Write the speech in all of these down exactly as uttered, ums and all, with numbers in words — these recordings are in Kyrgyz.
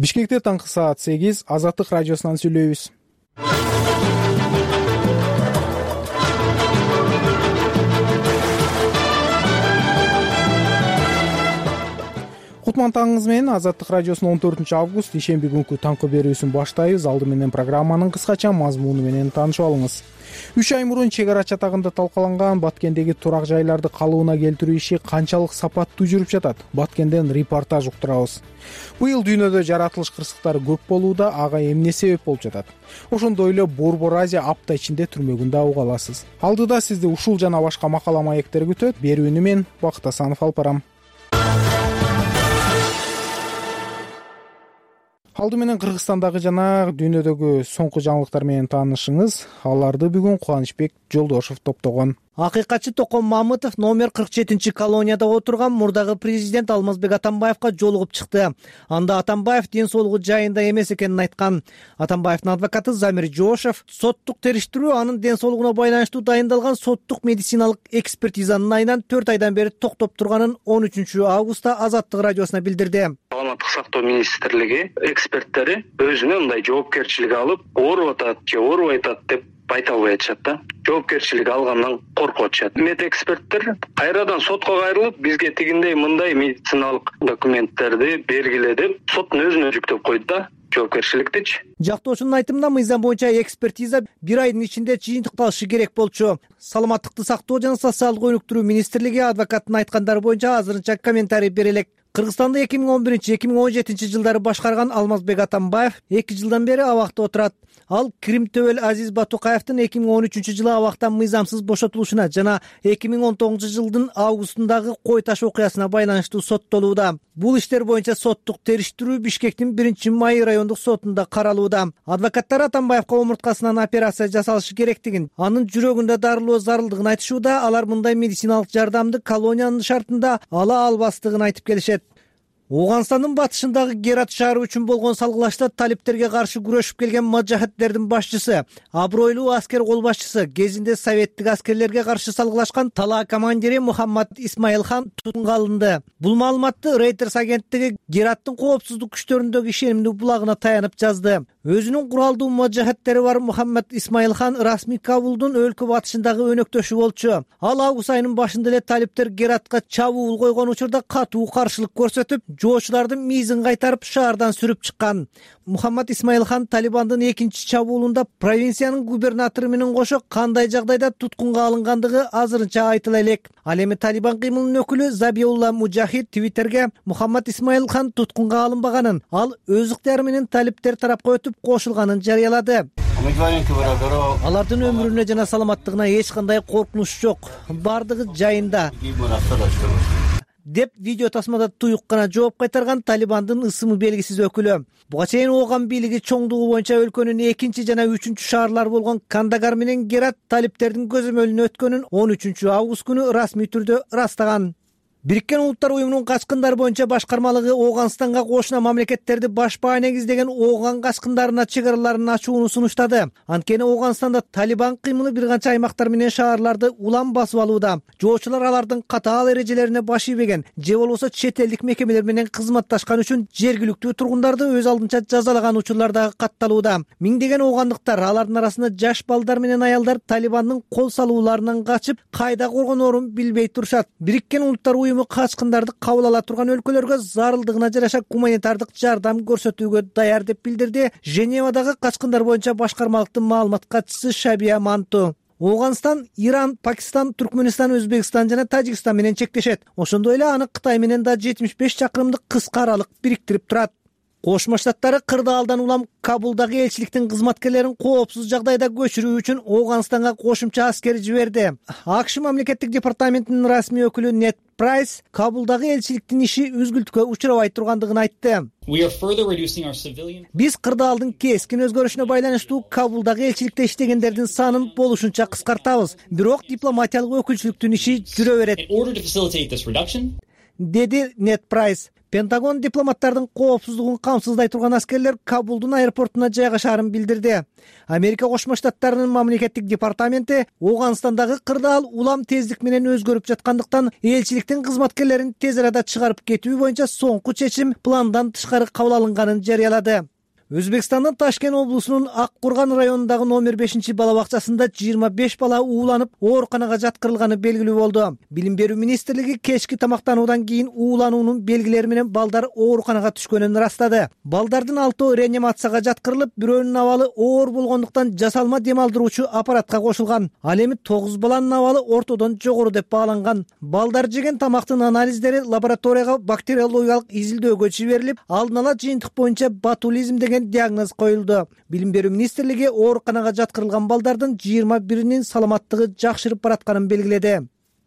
Бишкекте таңкы саат сегиз, Азаттык радиосунан сүйлөйбүз. Кутман таңыңыз менен Азаттык радиосунун он төртүнчү август ишемби күнкү таңкы берүүсүн баштайбыз. Алды менен программанын кыскача мазмуну менен таанышып алыңыз. Үч ай мурун чек ара чатагында талкаланган Баткендеги турак жайларды калыбына келтирүү иши канчалык сапаттуу жүрүп жатат? Баткенден репортаж уктурабыз. Быйыл дүйнөдө жаратылыш кырсыктары көп болууда, ага эмне себеп болуп жатат? Ошондой эле Борбор Азия апта ичинде түрмөгүн да уга аласыз. Алдыда сизди ушул жана башка макала маектер күтөт. Берүүнү мен Бакыт Асанов алып барам. Алды менен Кыргызстандагы жана дүйнөдөгү соңку жаңылыктар менен таанышыңыз. Аларды бүгүн Кубанычбек Жолдошов топтогон. Акыйкатчы Токон Мамытов номер кырк жетинчи колонияда отурган мурдагы президент Алмазбек Атамбаевка жолугуп чыкты. Анда Атамбаев ден соолугу жайында эмес экенин айткан. Атамбаевдин адвокаты Замир Жошев соттук териштирүү анын ден соолугуна байланыштуу дайындалган соттук медициналык экспертизанын айынан төрт айдан бери токтоп турганын он үчүнчү августта Азаттык радиосуна билдирди. Саламаттык сактоо министрлиги эксперттери өзүнө мындай жоопкерчилик алып, ооруп атат же оорубай атат деп айта албай атышат да. Жоопкерчилик алгандан коркуп атышат. Мед эксперттер кайрадан сотко кайрылып, бизге тигиндей мындай медициналык документтерди бергиле деп соттун өзүнө жүктөп койду да. Жоопкерчиликтичи. Жактоочунун айтымында мыйзам боюнча экспертиза бир айдын ичинде жыйынтыкталышы керек болчу. Саламаттыкты сактоо жана социалдык өнүктүрүү министрлиги адвокаттын айткандары боюнча азырынча комментарий бере элек. Кыргызстанды эки миң он биринчи — эки миң он жетинчи жылдары башкарган Алмазбек Атамбаев эки жылдан бери абакта отурат. Ал Крим Төбөл Азиз Батукаевдин эки миң он үчүнчү жылы абактан мыйзамсыз бошотулушуна жана эки миң он тогузунчу жылдын августундагы кой таш окуясына байланыштуу соттолууда. Бул иштер боюнча соттук териштирүү Бишкектин биринчи май райондук сотунда каралууда. Адвокаттар Атамбаевка омурткасынан операция жасалышы керектигин, анын жүрөгүндө дарылоо зарылдыгын айтышууда. Алар мындай медициналык жардамды колониянын шартында ала албастыгын айтып келишет. Ооганстандын батышындагы Герат шаары үчүн болгон салгылашта талиптерге каршы күрөшүп келген мажахеттердин башчысы, абройлуу аскер кол башчысы, кезинде советтик аскерлерге каршы салгылашкан Тала командири Мухаммад Исмаилхан тутумга алынды. Бул маалыматты Reuters агенттиги Гераттын коопсуздук күчтөрүндөгү ишенимдүү булагына таянып жазды. Өзүнүн куралдуу мажахеттери бар Мухаммад Исмаилхан расмий Кабулдун өлкө батышындагы өнөктөшү болчу. Ал август айынын башында эле талиптер Гератка чабуул койгон учурда катуу каршылык көрсөтүп, жоочулардын мизин кайтарып шаардан сүрүп чыккан. Мухаммад Исмаилхан Талибандын экинчи чабуулунда провинциянын губернатору менен кошо кандай жагдайда туткунга алынгандыгы азырынча айтыла элек. Ал эми Талибан кыймылынын өкүлү Забиулла Мужахид Твиттерге Мухаммад Исмаилхан туткунга алынбаганын, ал өз ыктыяры менен талиптер тарапка өтүп кошулганын жарыялады. Алардын өмүрүнө жана саламаттыгына эч кандай коркунуч жок. Бардыгы жайында деп видео тасмада туюк гана жооп кайтарган Талибандын ысымы белгисиз өкүлү. Буга чейин ооган бийлиги чоңдугу боюнча өлкөнүн экинчи жана үчүнчү шаарлары болгон Кандагар менен Герат талиптердин көзөмөлүнө өткөнүн он үчүнчү август күнү расмий түрдө ырастаган. Бириккен Улуттар уюмунун качкындар боюнча башкармалыгы Ооганстанга кошуна мамлекеттерди башпаа негиздеген ооган качкындарына чек араларын ачууну сунуштады. Анткени Ооганстанда Талибан кыймылы бир канча аймактар менен шаарларды улам басып алууда. Жоочулар алардын катаал эрежелерине баш ийбеген же болбосо чет элдик мекемелер менен кызматташкан үчүн жергиликтүү тургундарды өз алдынча жазалаган учурлар дагы катталууда. Миңдеген оогандыктар, алардын арасында жаш балдар менен аялдар Талибандын кол салууларынан качып, кайда коргоноорун билбей турушат. Бириккен Улуттар уюму качкындарды кабыл ала турган өлкөлөргө зарылдыгына жараша гуманитардык жардам көрсөтүүгө даяр деп билдирди Женевадагы качкындар боюнча башкармалыктын маалымат катчысы Шабия Манту. Ооганстан Иран, Пакистан, Түркмөнстан, Өзбекстан жана Тажикстан менен чектешет. Ошондой эле аны Кытай менен да жетимиш беш чакырымдык кыска аралык бириктирип турат. Кошмо Штаттары кырдаалдан улам Кабулдагы элчиликтин кызматкерлерин коопсуз жагдайда көчүрүү үчүн Ооганстанга кошумча аскер жиберди. АКШ мамлекеттик департаментинин расмий өкүлү Нет Прайс Кабулдагы элчиликтин иши үзгүлтүккө учурабай тургандыгын айтты. Биз кырдаалдын кескин өзгөрүшүнө байланыштуу Кабулдагы элчиликте иштегендердин санын болушунча кыскартабыз. Бирок дипломатиялык өкүлчүлүктүн иши жүрө берет, деди Нет Прайс. Пентагон дипломаттардын коопсуздугун камсыздай турган аскерлер Кабулдун аэропортуна жайгашаарын билдирди. Америка Кошмо Штаттарынын мамлекеттик департаменти Ооганстандагы кырдаал улам тездик менен өзгөрүп жаткандыктан элчиликтин кызматкерлерин тез арада чыгарып кетүү боюнча соңку чечим пландан тышкары кабыл алынганын жарыялады. Өзбекстандын Ташкент облусунун Ак Курган районундагы номер бешинчи бала бакчасында жыйырма беш бала ууланып, ооруканага жаткырылганы белгилүү болду. Билим берүү министрлиги кечки тамактануудан кийин уулануунун белгилери менен балдар ооруканага түшкөнүн ырастады. Балдардын алтоо реанимацияга жаткырылып, бирөөнүн абалы оор болгондуктан жасалма дем алдыруучу аппаратка кошулган. Ал эми тогуз баланын абалы ортодон жогору деп бааланган. Балдар жеген тамактын анализдери лабораторияга бактериологиялык изилдөөгө жиберилип, алдын ала жыйынтык боюнча ботулизм деген диагноз коюлду. Билим берүү министрлиги ооруканага жаткырылган балдардын жыйырма биринин саламаттыгы жакшырып баратканын белгиледи.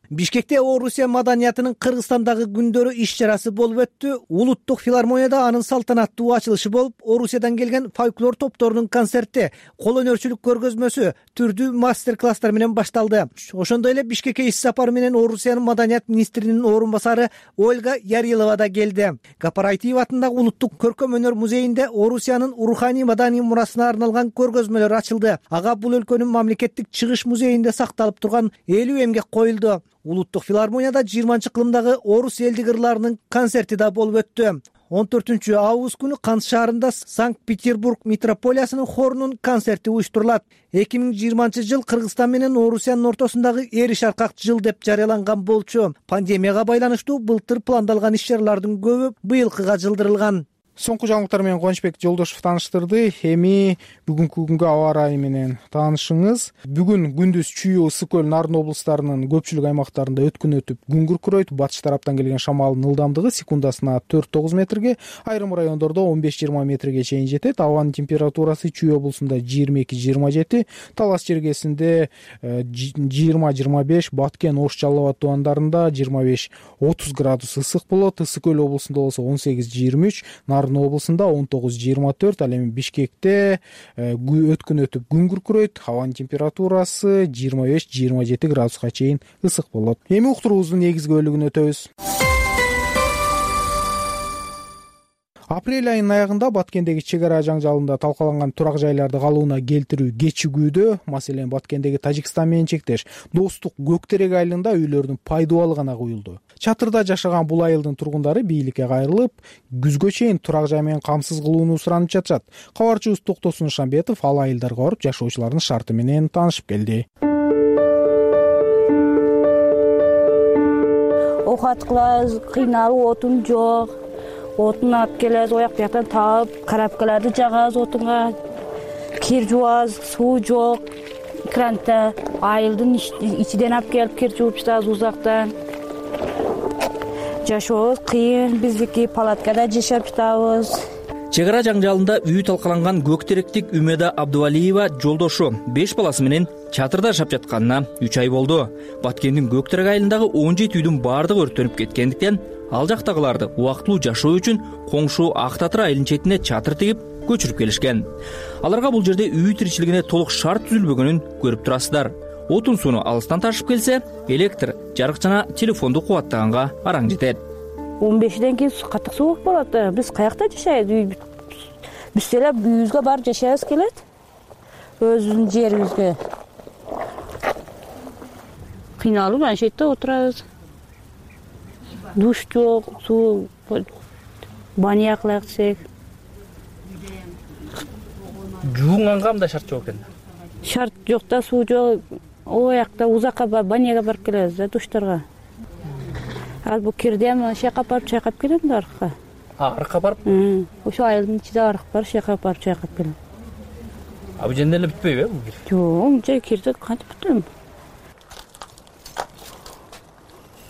Бишкекте Орусия маданиятынын Кыргызстандагы күндөрү иш-чарасы болуп өттү. Улуттук филармонияда анын салтанаттуу ачылышы болуп, Орусиядан келген фольклор топторунун концерти, кол өнөрчүлүк көргөзмөсү, түрдүү мастер-класстар менен башталды. Ошондой эле Бишкекке иш сапары менен Орусиянын маданият министринин орун басары Ольга Ярилова да келди. Гапарайтиев атындагы Улуттук көркөм өнөр музейинде Орусиянын руханий маданий мурасына арналган көргөзмөлөр ачылды. Ага бул өлкөнүн мамлекеттик чыгыш музейинде сакталып турган элүү эмгек коюлду. Улуттук филармонияда жыйырманчы кылымдагы орус элдик ырларынын концерти да болуп өттү. он төртүнчү август күнү Кант шаарында Санкт-Петербург метрополиясынын хорунун концерти уюштурулат. эки миң жыйырманчы жыл Кыргызстан менен Орусиянын ортосундагы эриш аркак жыл деп жарыяланган болчу. Пандемияга байланыштуу былтыр пландалган иш-чаралардын көбү быйылкыга жылдырылган. Соңку жаңылыктар менен Кубанычбек Жолдошов тааныштырды. Эми бүгүнкү күнгө аба ырайы менен таанышыңыз. Бүгүн күндүз Чүй, Ысык көл, Нарын облустарынын көпчүлүк аймактарында өткүн өтүп, күн күркүрөйт. Батыш тараптан келген шамалдын ылдамдыгы секундасына төрт тогуз метрге, айрым райондордо он беш жыйырма метрге чейин жетет. Абанын температурасы Чүй облусунда жыйырма эки жыйырма жети, Талас жергесинде жыйырма жыйырма беш, Баткен, Ош, Жалал Абад тубандарында жыйырма беш отуз градус ысык болот. Ысык көл облусунда болсо он сегиз жыйырма үч, Нарын облусунда он тогуз жыйырма төрт. Ал эми Бишкекте өткүн өтүп күн күркүрөйт. Абанын температурасы жыйырма беш жыйырма жети градуска чейин ысык болот. Эми уктуруубуздун негизги бөлүгүнө өтөбүз. Апрель айынын аягында Баткендеги чек ара жаңжалында талкаланган турак жайларды калыбына келтирүү кечигүүдө. Маселен, Баткендеги Тажикстан менен чектеш Достук Көктерек айылында үйлөрдүн пайдубалы гана куюлду. Чатырда жашаган бул айылдын тургундары бийликке кайрылып, күзгө чейин турак жай менен камсыз кылууну суранып жатышат. Кабарчыбыз Токтосун Шамбетов ал айылдарга барып, жашоочулардын шарты менен таанышып келди. Окат кылабыз, кыйналып, отун жок. Отун алып келебиз, ояк бияктан таап, карапкаларды жагабыз отунга. Кир жуабыз, суу жок. Кранта айылдын ичиден алып келип кир жууп жатабыз узактан. Жашообуз кыйын, биздики палаткада жашап жатабыз. Чек ара жаңжалында үй талкаланган Көктеректик Үмеда Абдувалиева жолдошу беш баласы менен чатырда жашап жатканына үч ай болду. Баткендин Көктерек айылындагы он жети үйдүн баардыгы өрттөнүп кеткендиктен ал жактагыларды убактылуу жашоо үчүн коңшу Ак Татыр айылынын четине чатыр тигип көчүрүп келишкен. Аларга бул жерде үй тиричилигине толук шарт түзүлбөгөнүн көрүп турасыздар. Отун сууну алыстан ташып келсе, электр, жарык жана телефонду кубаттаганга араң жетет. он бешден кийин катык суук болот. Биз каякта жашайбыз? Биз эле үйүбүзгө барып жашайбыз келет. Өзүбүздүн жерибизге. Кыйналып ana shu yerda o'tiramiz. Dush yo'q, suv banyo qilak desek. Жуунганга мындай шарт жок экен. Шарт жок да, суу жок. О жакта узакка баняга барып келебиз да, душтарга. Ал бу кирдем шайкап барып чайкап келем да аркка. А, аркка барып? Ошо айылдын ичинде арык бар, шайкап барып чайкап келем. А бул жерде эле бүтпөйбү бул кир? Жок, мынча кирди кантип бүтөм?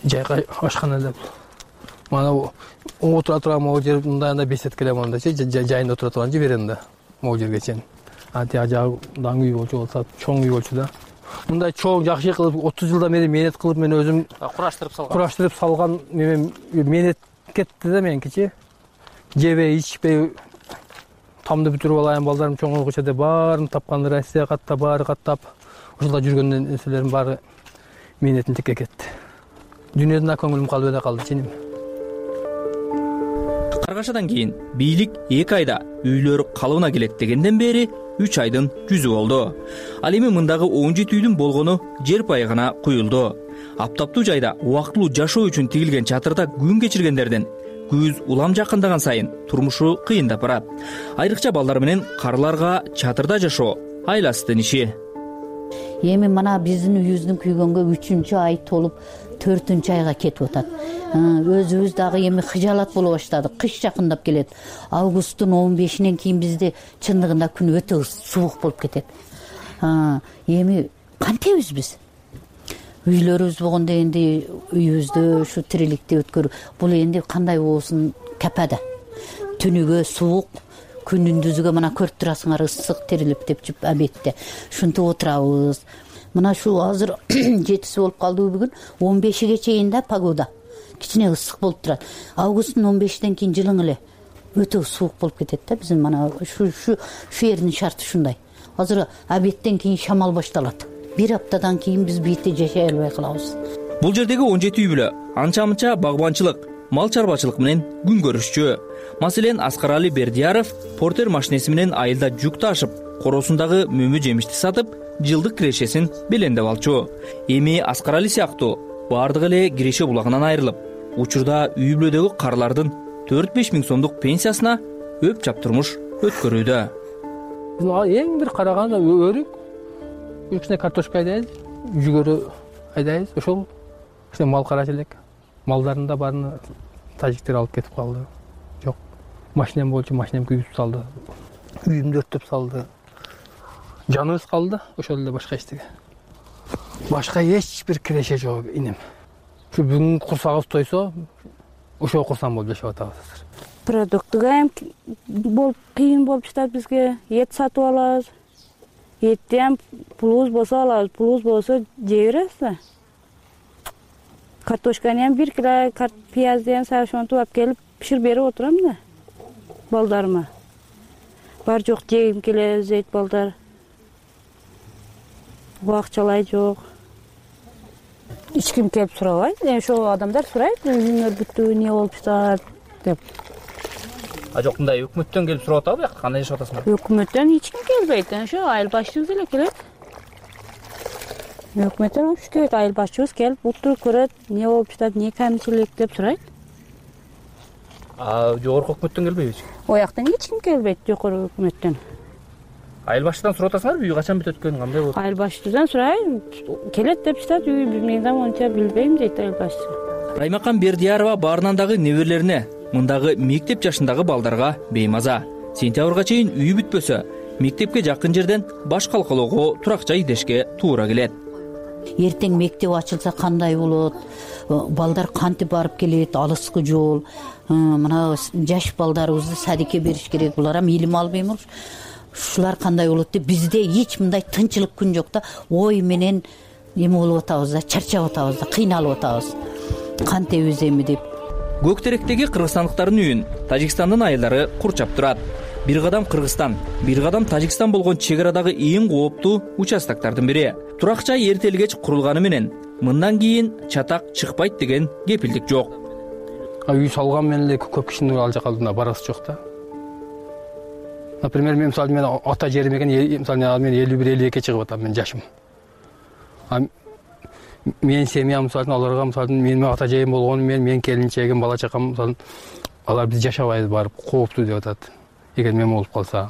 Жайга ашкан эле. Мана отура турган могу жер мындайында бесет келем андачы, жайында отура турган жиберем могу жерге чейин. Анти ажагдан үй болчу болсо, чоң үй болчу да. Мындай чоң жакшы кылып отуз жылдан бери менет кылып мен өзүм кураштырып салган. Кураштырып салган мен менет кетти да меникичи. Жебей, ичпей тамды бүтүрүп алайын, балдарым чоңойгуча деп баарын тапкан, Россия катта баары каттап, ошолда жүргөн нерселерим баары менетин тикке кетти. Дүйнөдөн да көңүлүм калып эле калды ченим. Чыгарачадан кийин бийлик эки айда үйлөр калыбына келет дегенден бери үч айдын жүзү болду. Ал эми мындагы он жети үйдүн болгону жер пайы гана куюлду. Аптаптуу жайда убактылуу жашоо үчүн тигилген чатырда күн кечиргендердин күз улам жакындаган сайын турмушу кыйындап барат. Айрыкча балдар менен карыларга чатырда жашоо айласыздын иши. Эми мына биздин үйүбүздүн күйгөнгө үчүнчү ай толуп төртүнчү айга кетип атат. Өзүбүз дагы эми кыжаалат боло баштадык. Кыш жакындап келет. Августтун он бешинен кийин бизде чындыгында күн өтө суук болуп кетет. Эми кантебиз биз? Үйлөрүбүз болгондо энди үйүбүздө ушу тириликти өткөрүү. Бул энди кандай болсун капада. Түнүгө суук, күнүндүзгө мына көрүп турасыңар ысык тирилип деп жүрүп абетте. Ушинтип отурабыз. Мына шу азыр жетиси болуп калдыбы бүгүн он бешиге чейин да погода. Кичине ысык болуп турат. Августтун он бешинен кийин жылың эле өтө суук болуп кетет да. Биздин мана ушу ушу шу жердин шарты ушундай. Азыр абеттен кийин шамал башталат. Бир аптадан кийин биз бийте жашай албай калабыз. Бул жердеги он жети үй бүлө анча-мынча багбанчылык, мал чарбачылык менен күн көрүшчү. Маселен, Аскарали Бердияров портер машинеси менен айылда жүк ташып, коросундагы мөмө жемишти сатып, жылдык кирешесин белендеп алчу. Эми Аскарали сыяктуу бардыгы эле киреше булагынан айрылып, учурда үй бүлөдөгү карлардын төрт беш миң сомдук пенсиясына өп жап турмуш өткөрүүдө. Эң бир караганда өрүк, кичине картошка айдайбыз, жүгөрү айдайбыз. Ошол кичине мал карачы элек. Малдарын да баарын тажиктер алып кетип калды. Жок, машинем болчу, машинем күйүп салды. Үйүмдү өрттөп салды. Жаныбыз калды, ошол эле башка эчтеге. Башка эч бир киреше жок инем. Ушу бүгүн курсагыбыз тойсо, ошол курсам болуп жашап атабыз. Продуктуга эм болуп кыйын болуп жатат бизге. Эт сатып алабыз. Этти эм пулубуз болсо алабыз, пулубуз болсо жей беребиз да. Картошканы эм бир кило пиязды сашонтуп алып келип пиширип берип отурам да балдарыма. Бар жок жегим келе зейт балдар. Акчалай жок. Эч ким келип сурабайт. Эми ошол адамдар сурайт, үйүңөр бүттү, эмне болуп жатат деп. А жок, мындай өкмөттөн келип сурап атабы, бияка кандай жашап атасыңар? Өкмөттөн эч ким келбейт. Ошо айыл башчыбыз эле келет. Өкмөттөн уш келет, айыл башчыбыз келип утуруп көрөт, эмне болуп жатат, эмне камчылык деп сурайт. А жогорку өкмөттөн келбейби? Ояктан эч ким келбейт, жогорку өкмөттөн. Айыл башчыдан сурап атасыңарбы, үй качан бүтөт экен, кандай болот? Айыл башчыдан сурайм, келет деп жатат, үй мен монча билбейм дейт айыл башчы. Раймакан Бердиярова баарынан дагы неберелерине, мындагы мектеп жашындагы балдарга беймаза. Сентябрга чейин үй бүтпөсө, мектепке жакын жерден баш калкалоого турак жай издешке туура келет. Эртең мектеп ачылса кандай болот? Балдар кантип барып келет? Алыскы жол. Мына жаш балдарыбызды садикке бериш керек. Булар эми илим албайбы? Ушулар кандай болот деп бизде эч мындай тынчылык күн жок да. Ой менен эме болуп атабыз да, чарчап атабыз да, кыйналып атабыз. Кантебиз эми деп. Көк теректеги кыргызстандыктардын үйүн Тажикстандын айылдары курчап турат. Бир кадам Кыргызстан, бир кадам Тажикстан болгон чек арадагы эң кооптуу участоктордун бири. Турак жай эртели кеч курулганы менен мындан кийин чатак чыкпайт деген кепилдик жок. Үй салган менен эле көп кишинин ал жака барасы жок да. Например, мен мисалы мен ата жерим экен, мисалы мен элүү бир элүү экиге чыгып атам, мен жашым. Мен семьям мисалы аларга мисалы менин ата жерим болгону менен мен келинчегим, бала чакам мисалы алар биз жашабайбыз барып, кооптуу деп атат. Эгер мен болуп калса,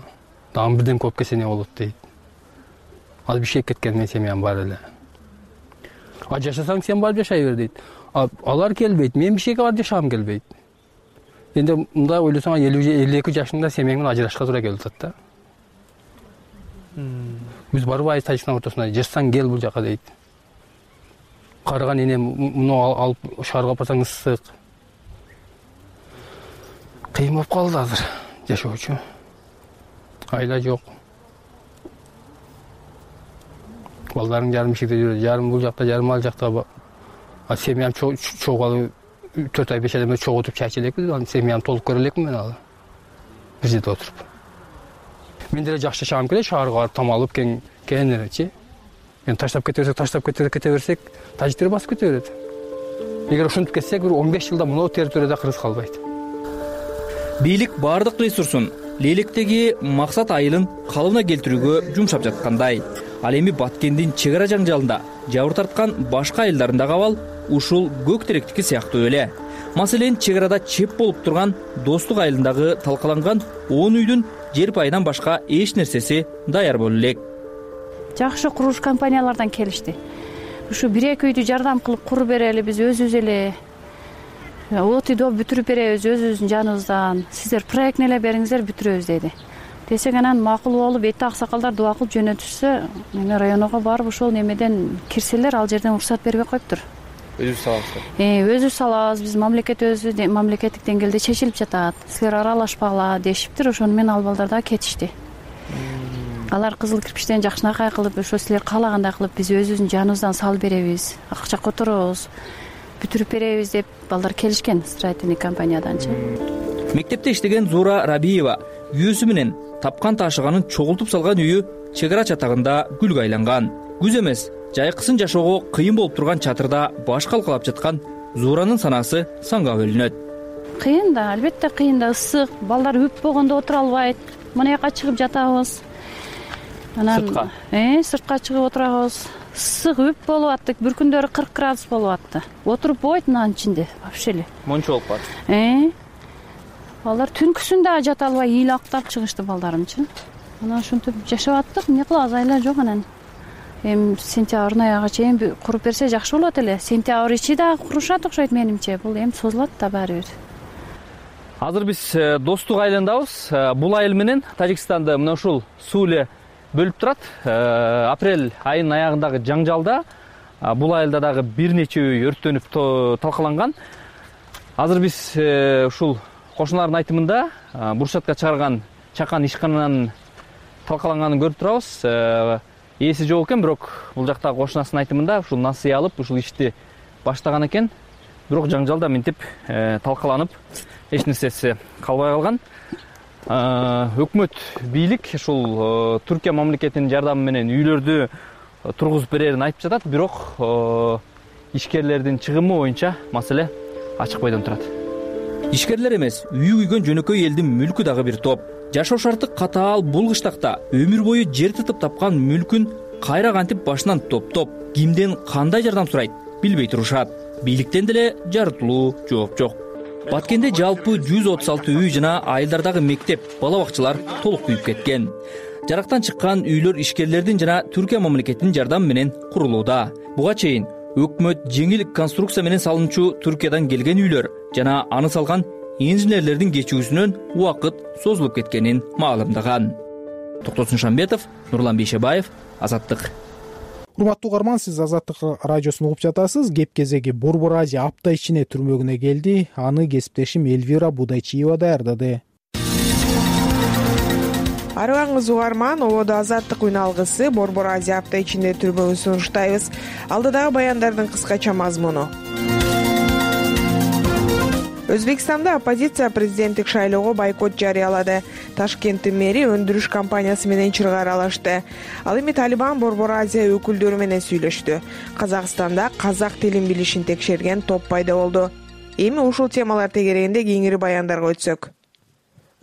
дагы бирден көп кесене болот дейт. Ал бишек кеткен мен семьям бар эле. А жашасаң сен барып жашай бер дейт. Алар келбейт, мен бишекке барып жашагым келбейт. Энди мындай ойлосоң элүү элүү эки жашыңда семьяң менен ажырашка туура келип атат да. Биз барбайбыз Тажикстан ортосуна, жашсаң кел бул жака дейт. Карыган энем муну алып шаарга барсаң ысык. Кыйын болуп калды азыр жашоочу. Айла жок. Балдарың жарым ишикте жүрөт, жарым бул жакта, жарым ал жакта. А семьям чогуу төрт ай беш айдан чогуу отуруп чай эчелекпиз, анын семьям толук көрө элекмин мен алы. Бир жерде отуруп. Мен деле жакшы жашагым келет, шаарга барып там алып кең кененирээчи. Мен таштап кете берсек, таштап кете кете берсек, тажиктер басып кете берет. Эгер ушинтип кетсек, бир он беш жылда мына территорияда кыргыз калбайт. бийлик баардык ресурсун Лелектеги максат айылын калыбына келтирүүгө жумшап жаткандай. Ал эми Баткендин чек ара жаңжалында жабыр тарткан башка айылдарындагы абал ушул көк теректики сыяктуу эле. Маселен, чек арада чеп болуп турган Достук айылындагы талкаланган он үйдүн жер пайынан башка эч нерсеси даяр боло элек. Жакшы курулуш компаниялардан келишти. Ушу бир эки үйдү жардам кылып куруп берели, биз өзүбүз эле от үйдү бүтүрүп беребиз өзүбүздүн жаныбыздан. Сиздер проектни эле бериңиздер, бүтүрөбүз деди. Десек анан макул болуп, эти аксакалдар дуба кылып жөнөтүшсө, эми районго барып ошол немеден кирселер, ал жерден уруксат бербей коюптур. Өзүбүз салабыз. Э, өзүбүз салабыз. Биз мамлекет өзү мамлекеттик деңгээлде чечилип жатат. Силер аралашпагыла дешиптир. Ошону менен ал балдар да кетишти. Алар кызыл кирпичтен жакшынакай кылып, ошо силер каалагандай кылып, биз өзүбүздүн жаныбыздан салып беребиз, акча которобуз, бүтүрүп беребиз деп балдар келишкен строительный компанияданчы. Мектепте иштеген Зуура Рабиева үйөөсү менен тапкан ташыганын чогултуп салган үйү чек ара чатагында гүлгө айланган. Күз эмес, жайкысын жашоого кыйын болуп турган чатырда баш калкалап жаткан Зууранын санаасы санга бөлүнөт. Кыйын да, албетте кыйын да, ысык, балдар үп болгондо отура албайт. Мына жака чыгып жатабыз. Анан сыртка. Э, сыртка чыгып отурабыз. Ысык үп болуп атты, бір күндөрү кырк градус болуп атты. Отуруп болбойт мынанын ичинде, вообще эле. Мончо болуп калат. Э. Балдар түнкүсүн да жата албай ийил актап чыгышты балдарымчы. Анан ушинтип жашап аттык, эмне кылабыз, айла жок анан. Эми сентябрдын аягына чейин куруп берсе жакшы болот эле. Сентябрь ичи да курушат окшойт менимче. Бул эми созулат да баары бир. Азыр биз Достук айылындабыз. Бул айыл менен Тажикстанды мына ушул суу эле бөлүп турат. Апрель айынын аягындагы жаңжалда бул айылда дагы бир нече үй өрттөнүп талкаланган. Азыр биз ушул кошуналардын айтымында буршатка чыгарган чакан ишкананын талкаланганын көрүп турабыз. Ээси жок экен, бирок бул жактагы кошунасынын айтымында ушул насыя алып, ушул ишти баштаган экен. Бирок жаңжалда мынтип талкаланып, эч нерсеси калбай калган. Өкмөт, бийлик ушул Түркия мамлекетинин жардамы менен үйлөрдү тургузуп берерин айтып жатат, бирок ишкерлердин чыгымы боюнча маселе ачык бойдон турат. Ишкерлер эмес, үйү күйгөн жөнөкөй элдин мүлкү дагы бир топ. Жашоо шарты катаал бул кыштакта өмүр бою жер тытып тапкан мүлкүн кайра кантип башынан топтоп, кимден кандай жардам сурайт билбей турушат. Бийликтен деле жарытылуу жооп жок. Баткенде жалпы жүз отуз алты үй жана айылдардагы мектеп, бала бакчалар толук күйүп кеткен. Жарактан чыккан үйлөр ишкерлердин жана Түркия мамлекетинин жардамы менен курулууда. Буга чейин өкмөт жеңил конструкция менен салынчу Түркиядан келген үйлөр жана аны салган инженерлердин кечүүсүнөн убакыт созулуп кеткенин маалымдаган. Токтосун Шамбетов, Нурлан Бейшебаев, Азаттык. Урматтуу угарман, сиз Азаттык радиосун угуп жатасыз. Кеп кезеги Борбор Азия апта ичине түрмөгүнө келди. Аны кесиптешим Эльвира Будайчиева даярдады. Арыбаңыз угарман, ободо Азаттык үн алгысы Борбор Азия апта ичинде түрмөгүн сунуштайбыз. Алдыдагы баяндардын кыскача мазмуну. Өзбекстанда оппозиция президенттик шайлоого бойкот жарыялады. Ташкенттин мэри өндүрүш компаниясы менен чыргаралашты. Ал эми Талибан Борбор Азия өкүлдөрү менен сүйлөштү. Казакстанда казак тилин билишин текшерген топ пайда болду. Эми ушул темалар тегерегинде кеңири баяндарга өтсөк.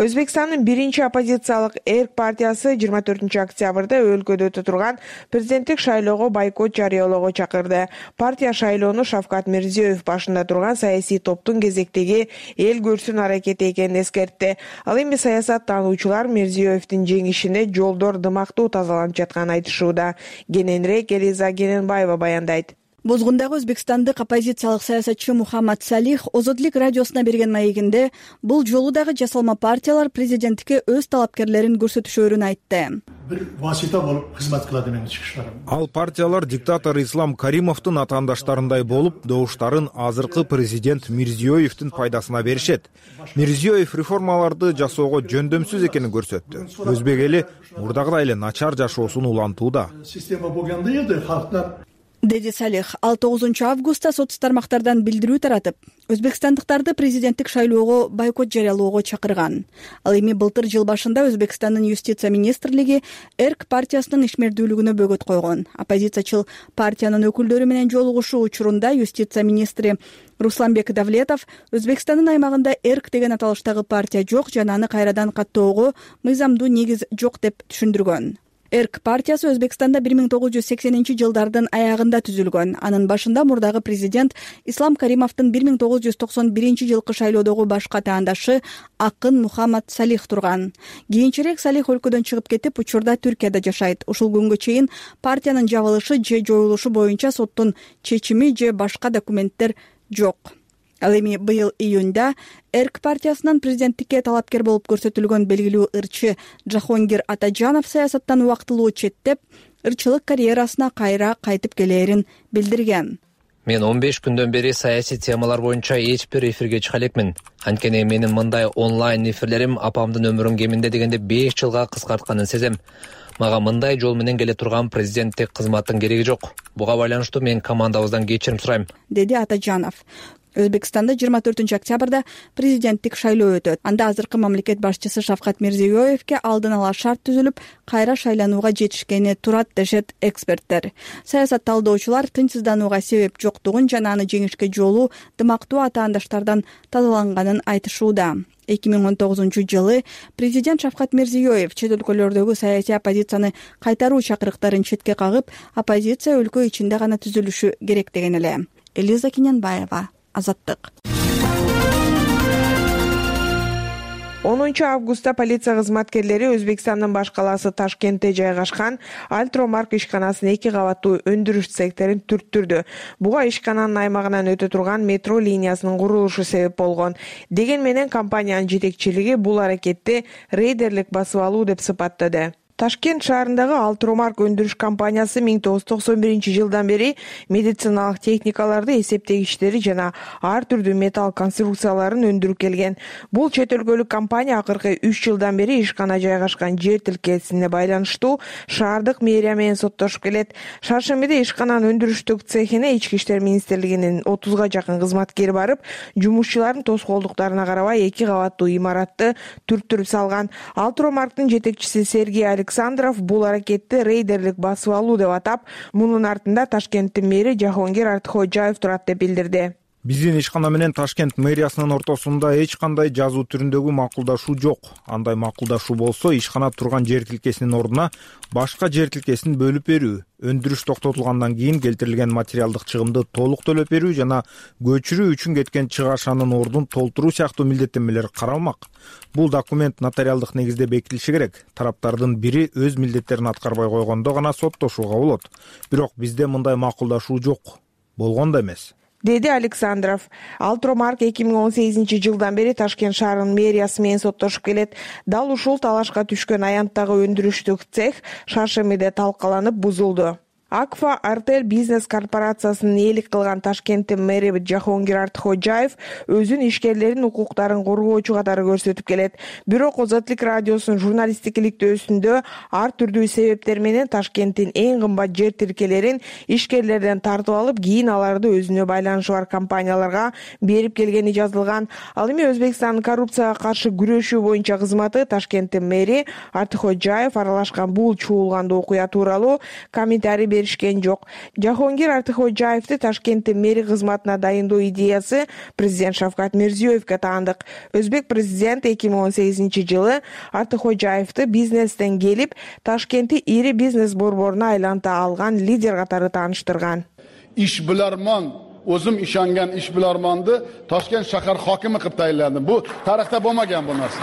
Өзбекстандын биринчи оппозициялык Эрк партиясы жыйырма төртүнчү октябрда өлкөдө өтө турган президенттик шайлоого бойкот жарыялоого чакырды. Партия шайлоону Шавкат Мирзиёев башында турган саясий топтун кезектеги эл көрсүн аракети экенин эскертти. Ал эми саясаттануучулар Мирзиёевдин жеңишине жолдор дымактуу тазаланып жатканын айтышууда. Кененирээк Элиза Кененбаева баяндайт. Бозгундагы өзбекстандык оппозициялык саясатчы Мухаммад Салих Озодлук радиосуна берген маегинде бул жолу дагы жасалма партиялар президенттикке өз талапкерлерин көрсөтүшөрүн айтты. Бир васита болуп кызмат кылат менен чыгыштар. Ал партиялар диктатор Ислам Каримовдун атаандаштарындай болуп, добуштарын азыркы президент Мирзиёевдин пайдасына беришет. Мирзиёев реформаларды жасоого жөндөмсүз экенин көрсөттү. Өзбек эли мурдагыдай эле начар жашоосун улантууда. Система болгондо эле халктан деди Салих. Ал тогузунчу августта соц тармактардан билдирүү таратып, өзбекстандыктарды президенттик шайлоого бойкот жарыялоого чакырган. Ал эми былтыр жыл башында Өзбекстандын юстиция министрлиги Эрк партиясынын ишмердүүлүгүнө бөгөт койгон. Оппозициячыл партиянын өкүлдөрү менен жолугушуу учурунда юстиция министри Русланбек Давлетов Өзбекстандын аймагында Эрк деген аталыштагы партия жок жана аны кайрадан каттоого мыйзамдуу негиз жок деп түшүндүргөн. Эрк партиясы Өзбекстанда бир миң тогуз жүз сексенинчи жылдардын аягында түзүлгөн. Анын башында мурдагы президент Ислам Каримовдун бир миң тогуз жүз токсон биринчи жылкы шайлоодогу башка таандашы акын Мухаммад Салих турган. Кийинчерээк Салих өлкөдөн чыгып кетип, учурда Түркияда жашайт. Ушул күнгө чейин партиянын жабылышы же жоюлушу боюнча соттун чечими же башка документтер жок. Ал эми быйыл июнда Эрк партиясынан президенттикке талапкер болуп көрсөтүлгөн белгилүү ырчы Жахонгир Атажанов саясаттан убактылуу четтеп, ырчылык карьерасына кайра кайтып келээрин билдирген. Мен он беш күндөн бери саясий темалар боюнча эч бир эфирге чыга элекмин. Анткени менин мындай онлайн эфирлерим апамдын өмүрүн кеминде дегенде беш жылга кыскартканын сезем. Мага мындай жол менен келе турган президенттик кызматтын кереги жок. Буга байланыштуу мен командабыздан кечирим сурайм, деди Атажанов. Өзбекстанда жыйырма төртүнчү октябрда президенттик шайлоо өтөт. Анда азыркы мамлекет башчысы Шавкат Мирзиёевке алдын ала шарт түзүлүп, кайра шайланууга жетишкени турат дешет эксперттер. Саясат талдоочулар тынчсызданууга себеп жоктугун жана аны жеңишке жолу дымактуу атаандаштардан тазаланганын айтышууда. эки миң он тогузунчу жылы президент Шавкат Мирзиёев чет өлкөлөрдөгү саясий оппозицияны кайтаруу чакырыктарын четке кагып, оппозиция өлкө ичинде гана түзүлүшү керек деген эле. Элиза Кинянбаева, Азаттык. онунчу августта полиция кызматкерлери Өзбекстандын баш калаасы Ташкентте жайгашкан Альтромарк ишканасынын эки кабаттуу өндүрүш цехтерин түрттүрдү. Буга ишкананын аймагынан өтө турган метро линиясынын курулушу себеп болгон. Деген менен компаниянын жетекчилиги бул аракетти рейдерлик басып алуу деп сыпаттады. Ташкент шаарындагы Альтромарк өндүрүш компаниясы миң тогуз жүз токсон биринчи жылдан бери медициналык техникаларды, эсептегичтери жана ар түрдүү металл конструкцияларын өндүрүп келген. Бул чет өлкөлүк компания акыркы үч жылдан бери ишкана жайгашкан жер тилкеесине байланыштуу шаардык мэрия менен соттошуп келет. Шаршембиде ишкананын өндүрүштүк цехине Ички иштер министрлигинин отузга жакын кызматкери барып, жумушчулардын тоскоолдуктарына карабай эки кабаттуу имаратты түрттүрүп салган. Альтромарктын жетекчиси Сергей Александров бул аракетти рейдерлик басып алуу деп атап, мунун артында Ташкенттин мэри Жахонгир Артхожаев турат деп билдирди. Биздин ишкана менен Ташкент мэриясынын ортосунда эч кандай жазуу түрүндөгү макулдашуу жок. Андай макулдашуу болсо, ишкана турган жер тилкесинин ордуна башка жер тилкесин бөлүп берүү, өндүрүш токтотулгандан кийин келтирилген материалдык чыгымды толук төлөп берүү жана көчүрүү үчүн кеткен чыгашанын ордун толтуруу сыяктуу милдеттенмелер каралмак. Бул документ нотариалдык негизде бекитилиши керек. Тараптардын бири өз милдеттерин аткарбай койгондо гана соттошууга болот. Бирок бизде мындай макулдашуу жок. Болгон да эмес, деди Александров. Альтромарк эки миң он сегизинчи жылдан бери Ташкент шаарынын мэриясы менен соттошуп келет. Дал ушул талашка түшкөн аянттагы өндүрүштүк цех шаршембиде талкаланып бузулду. Акфа Артель бизнес корпорациясынын ээлик кылган Ташкенттин мэри Жахонгир Артхожаев өзүнүн ишкерлеринин укуктарын коргоочу катары көрсөтүп келет. Бирок Озотлук радиосунун журналисттик иликтөөсүндө ар түрдүү себептер менен Ташкенттин эң кымбат жер тилкелерин ишкерлерден тартып алып, кийин аларды өзүнө байланышы бар компанияларга берип келгени жазылган. Ал эми Өзбекстандын коррупцияга каршы күрөшүү боюнча кызматы Ташкенттин мэри Артхожаев аралашкан бул чуулгандуу окуя тууралуу комментарий беришкен жок. Жахонгир Артхожаевди Ташкенттин мэри кызматына дайындоо идеясы президент Шавкат Мирзиёевке таандык. Өзбек президент эки миң он сегизинчи жылы Артхожаевди бизнестен келип, Ташкентти ири бизнес борборуна айланта алган лидер катары тааныштырган. Ишбилармон, өзүм ишенган ишбилармонду Ташкент шахар хокими кылып тайынладым. Бу тарыхта болмаган бу нерсе.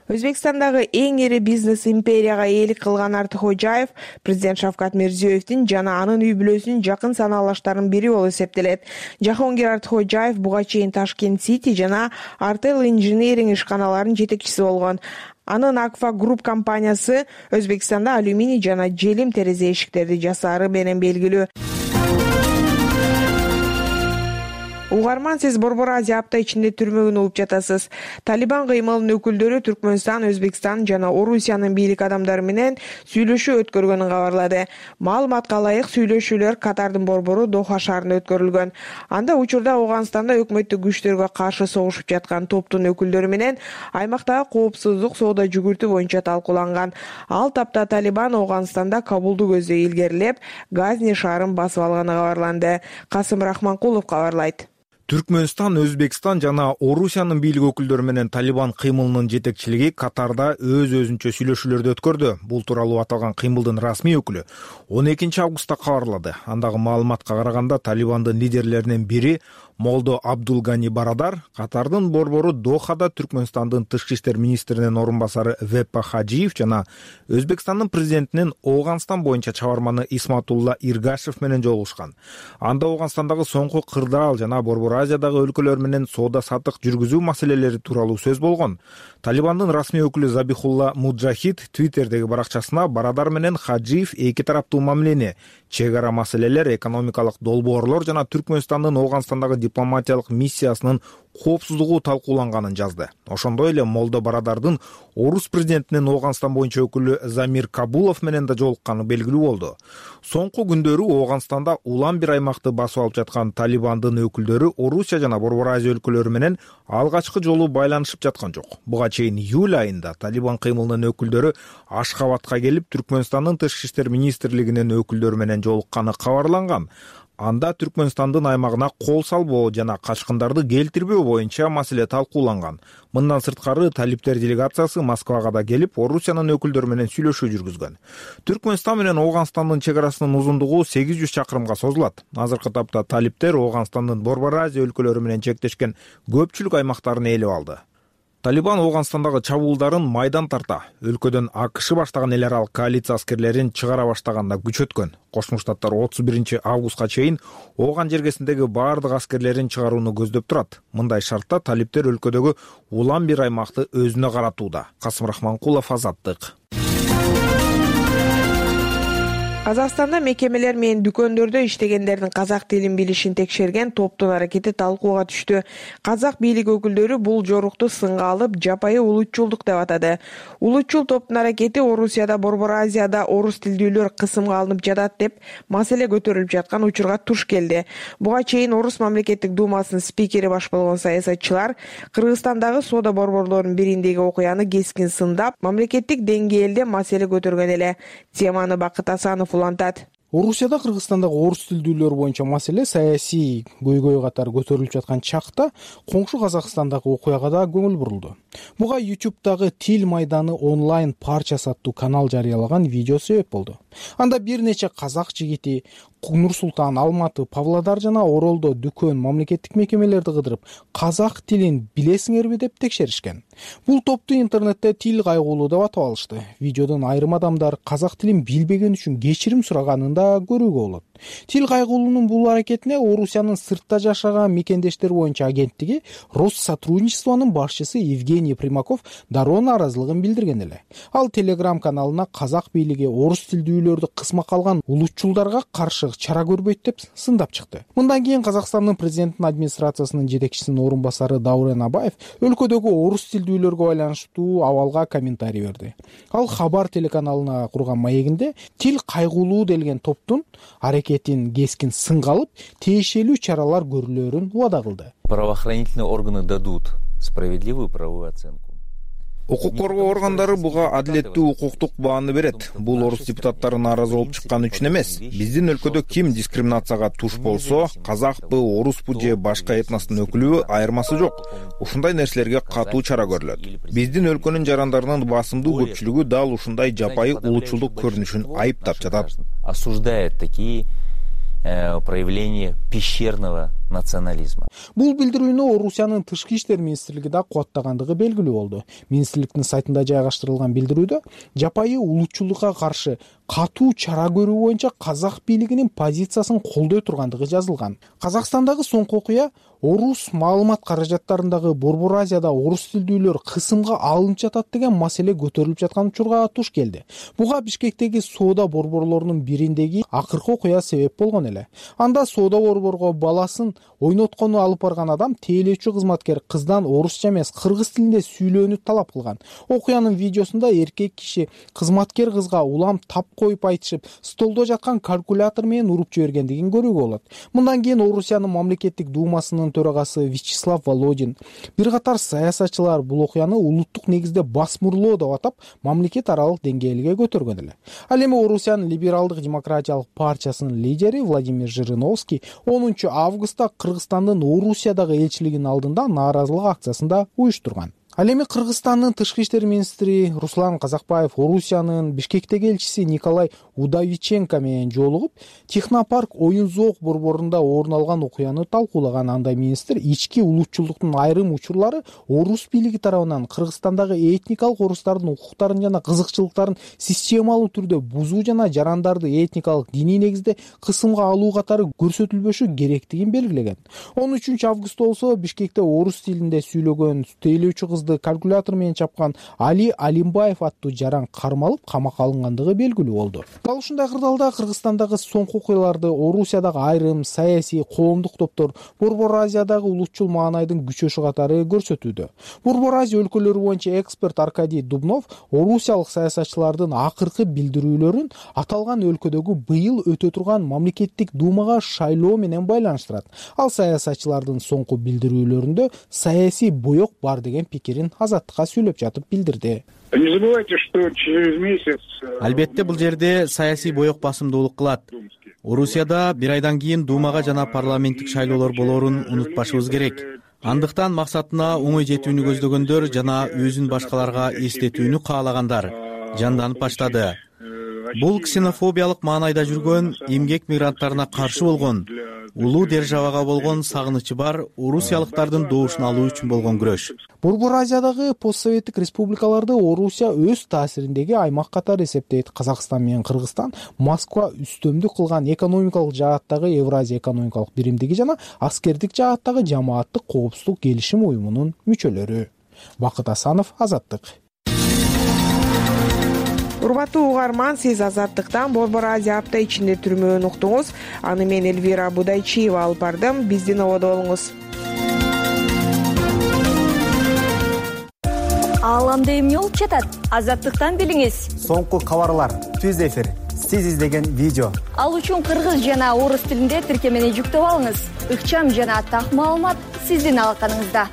Өзбекстандагы эң ири бизнес империяга ээлик кылган Артхожаев президент Шавкат Мирзиёевдин жана анын үй бүлөсүнүн жакын санаалаштарынын бири болуп эсептелет. Жахонгир Артхожаев буга чейин Ташкент Сити жана Артел Инжиниринг ишканаларынын жетекчиси болгон. Анын Акфа Групп компаниясы Өзбекстанда алюминий жана желим терезе эшиктерди жасаары менен белгилүү. угарман, сиз Борбор Азия апта ичинде түрмөгүн угуп жатасыз. Талибан кыймылынын өкүлдөрү Түркмөнстан, Өзбекстан жана Орусиянын бийлик адамдары менен сүйлөшүү өткөргөнүн кабарлады. Маалыматка ылайык, сүйлөшүүлөр Катардын борбору Доха шаарында өткөрүлгөн. Анда учурда Ооганстанда өкмөттүк күчтөргө каршы согушуп жаткан топтун өкүлдөрү менен аймактагы коопсуздук, соода жүгүртүү боюнча талкууланган. Ал тапта Талибан Ооганстанда Кабулду көздөй илгерилеп, Газни шаарын басып алганы кабарланды. Касым Рахманкулов кабарлайт. Түркмөнстан, Өзбекстан жана Орусиянын бийлик өкүлдөрү менен Талибан кыймылынын жетекчилиги Катарда өз-өзүнчө сүйлөшүүлөрдү өткөрдү. Бул тууралуу аталган кыймылдын расмий өкүлү он экинчи августта кабарлады. Андагы маалыматка караганда Талибандын лидерлеринин бири Молдо Абдулгани Барадар Катардын борбору Дохада Түркмөнстандын тышкы иштер министринин орун басары Веппа Хажиев жана Өзбекстандын президентинин Ооганстан боюнча чабарманы Исматулла Иргашев менен жолугушкан. Анда Ооганстандагы соңку кырдаал жана Борбор Азиядагы өлкөлөр менен соода саттык жүргүзүү маселелери тууралуу сөз болгон. Талибандын расмий өкүлү Забихулла Муджахид Твиттердеги баракчасына Барадар менен Хаджиев эки тараптуу мамилени, чек ара маселелер, экономикалык долбоорлор жана Түркмөнстандын Ооганстандагы дипломатиялык миссиясынын коопсуздугу талкууланганын жазды. Ошондой эле Молдо Барадардын Орус президентинин Ооганстан боюнча өкүлү Замир Кабулов менен да жолукканы белгилүү болду. Соңку күндөрү Ооганстанда улам бир аймакты басып алып жаткан Талибандын өкүлдөрү Орусия жана Борбор Азия өлкөлөрү менен алгачкы жолу байланышып жаткан жок. Буга чейин июль айында Талибан кыймылынын өкүлдөрү Ашхабадка келип, Түркмөнстандын тышкы иштер министрлигинин өкүлдөрү менен жолукканы кабарланган. Анда Түркмөнстандын аймагына кол салбоо жана качкындарды келтирбөө боюнча маселе талкууланган. Мындан сырткары талиптер делегациясы Москвага да келип, Орусиянын өкүлдөрү менен сүйлөшүү жүргүзгөн. Түркмөнстан менен Ооганстандын чек арасынын узундугу сегиз жүз чакырымга созулат. Азыркы тапта талиптер Ооганстандын Борбор Азия өлкөлөрү менен чектешкен көпчүлүк аймактарын ээлеп алды. Талибан Ооганстандагы чабуулдарын майдан тарта, өлкөдөн АКШ баштаган эл аралык коалиция аскерлерин чыгара баштаганда күч өткөн. Кошмо Штаттар отуз биринчи августка чейин Ооган жергесиндеги баардык аскерлерин чыгарууну көздөп турат. Мындай шартта талиптер өлкөдөгү улам бир аймакты өзүнө каратууда. Касым Рахманкулов, Азаттык. Казакстанда мекемелер менен дүкөндөрдө иштегендердин казак тилин билишин текшерген топтун аракети талкууга түштү. Казак бийлик өкүлдөрү бул жорукту сынга алып, жапайы улутчулдук деп атады. Улутчул топтун аракети Орусияда, Борбор Азияда орус тилдүүлөр кысымга алынып жатат деп маселе көтөрүлүп жаткан учурга туш келди. Буга чейин Орус мамлекеттик думасынын спикери баш болгон саясатчылар Кыргызстандагы соода борборлорунун бириндеги окуяны кескин сындап, мамлекеттик деңгээлде маселе көтөргөн эле. Теманы Бакыт Асанов улантат. Орусияда Кыргызстандагы орус тилдүүлөр боюнча маселе саясий көйгөй катары көтөрүлүп жаткан чакта коңшу Казакстандагы окуяга да көңүл бурулду. Буга YouTube'дагы Тил майданы онлайн парчасы аттуу канал жарыялаган видео себеп болду. Анда бир нече казак жигити Нур Султан, Алматы, Павлодар жана Оролдо дүкөн, мамлекеттик мекемелерди кыдырып, казак тилин билесиңерби деп текшеришкен. Бул топту интернетте тил кайгуулуу деп атап алышты. Видеодон айрым адамдар казак тилин билбеген үчүн кечирим сураганын да көрүүгө болот. Тил кайгуулуунун бул аракетине Орусиянын сыртта жашаган мекендештер боюнча агенттиги Россотрудничествонун башчысы Евгений Примаков дароо нааразылыгын билдирген эле. Ал Telegram каналына казак бийлиги орус тилдүүлөрдү кысмакка алган улутчулдарга каршы чара көрбөйт деп сындап чыкты. Мындан кийин Казакстандын президенттин администрациясынын жетекчисинин орун басары Даурен Абаев өлкөдөгү орус тилдүүлөргө байланыштуу абалга комментарий берди. Ал Хабар телеканалына курган маегинде тил кайгуулуу делген топтун аракетин кескин сынга алып, тиешелүү чаралар көрүлөрүн убада кылды. Правоохранительные органы дадут справедливую правовую оценку. Укук коргоо органдары буга адилеттүү укуктук бааны берет. Бул орус депутаттары нааразы болуп чыккан үчүн эмес. Биздин өлкөдө ким дискриминацияга туш болсо, казакпы, оруспу же башка этностун өкүлүбү айырмасы жок. Ушундай нерселерге катуу чара көрүлөт. Биздин өлкөнүн жарандарынын басымдуу көпчүлүгү дал ушундай жапайы улутчулдук көрүнүшүн айыптап жатат. Осуждает такие проявление пещерного национализма. Бул билдирүүнү Орусиянын тышкы иштер министрлиги да кубаттагандыгы белгилүү болду. Министрликтин сайтында жайгаштырылган билдирүүдө жапайы улутчулдукка каршы катуу чара көрүү боюнча казак бийлигинин позициясын колдой тургандыгы жазылган. Казакстандагы соңку окуя орус маалымат каражаттарындагы Борбор Азияда орус тилдүүлөр кысымга алынып жатат деген маселе көтөрүлүп жаткан учурга туш келди. Буга Бишкектеги соода борборлорунун бириндеги акыркы окуя себеп болгон эле. Анда соода борборго баласын ойноткону алып барган адам тейлөөчү кызматкер кыздан орусча эмес кыргыз тилинде сүйлөөнү талап кылган. Окуянын видеосунда эркек киши кызматкер кызга улам тап коюп айтышып, столдо жаткан калькулятор менен уруп жибергендигин көрүүгө болот. Мындан кийин Орусиянын мамлекеттик думасынын төрагасы Вячеслав Володин, бир катар саясатчылар бул окуяны улуттук негизде басмырлоо деп атап, мамлекет аралык деңгээлге көтөргөн эле. Ал эми Орусиянын либералдык демократиялык партиясынын лидери Владимир Жириновский онунчу августта Кыргызстандын Орусиядагы элчилигинин алдында нааразылык акциясын да уюштурган. Ал эми Кыргызстандын тышкы иштер министри Руслан Казакбаев Орусиянын Бишкектеги элчиси Николай Удовиченко менен жолугуп, технопарк оюн зоок борборунда орун алган окуяны талкуулаган. Анда министр ички улутчулдуктун айрым учурлары орус бийлиги тарабынан Кыргызстандагы этникалык орустардын укуктарын жана кызыкчылыктарын системалуу түрдө бузуу жана жарандарды этникалык диний негизде кысымга алуу катары көрсөтүлбөшү керектигин белгилеген. он үчүнчү августта болсо Бишкекте орус тилинде сүйлөгөн тейлөөчү кыз калькулятор менен чапкан Али Алимбаев аттуу жаран кармалып камакка алынгандыгы белгилүү болду. Дал ушундай кырдаалда Кыргызстандагы соңку окуяларды Орусиядагы айрым саясий коомдук топтор Борбор Азиядагы улутчул маанайдын күчөшү катары көрсөтүүдө. Борбор Азия өлкөлөрү боюнча эксперт Аркадий Дубнов орусиялык саясатчылардын акыркы билдирүүлөрүн аталган өлкөдөгү быйыл өтө турган мамлекеттик думага шайлоо менен байланыштырат. Ал саясатчылардын соңку билдирүүлөрүндө саясий боек бар деген пикир Азаттыкка сүйлөп жатып билдирди. Не забывайте, что через месяц... Албетте бул жерде саясий боек басымдуулук кылат. Орусияда бир айдан кийин думага жана парламенттик шайлоолор болоорун унутпашыбыз керек. Андыктан максатына оңой жетүүнү көздөгөндөр жана өзүн башкаларга эстетүүнү каалагандар жанданып баштады. Бул ксенофобиялык маанайда жүргөн, эмгек мигранттарына каршы болгон, улуу державага болгон сагынычы бар орусиялыктардын добушун алуу үчүн болгон күрөш. Борбор Азиядагы постсоветтик республикаларды Орусия өз таасириндеги аймак катары эсептейт. Казакстан менен Кыргызстан Москва үстөмдүк кылган экономикалык жааттагы Евразия экономикалык биримдиги жана аскердик жааттагы жамааттык коопсуздук келишим уюмунун мүчөлөрү. Бакыт Асанов, Азаттык. Урматтуу угарман, сиз Азаттыктан Борбор Азия апта ичинде түрмөөнү уктуңуз. Аны мен Эльвира Будайчиева алып бардым. Биздин ободо болуңуз. Ааламда эмне болуп жатат? Азаттыктан билиңиз. Соңку кабарлар, түз эфир, сиз издеген видео. Ал үчүн кыргыз жана орус тилинде тиркемени жүктөп алыңыз. Ыкчам жана так маалымат сиздин алаканыңызда.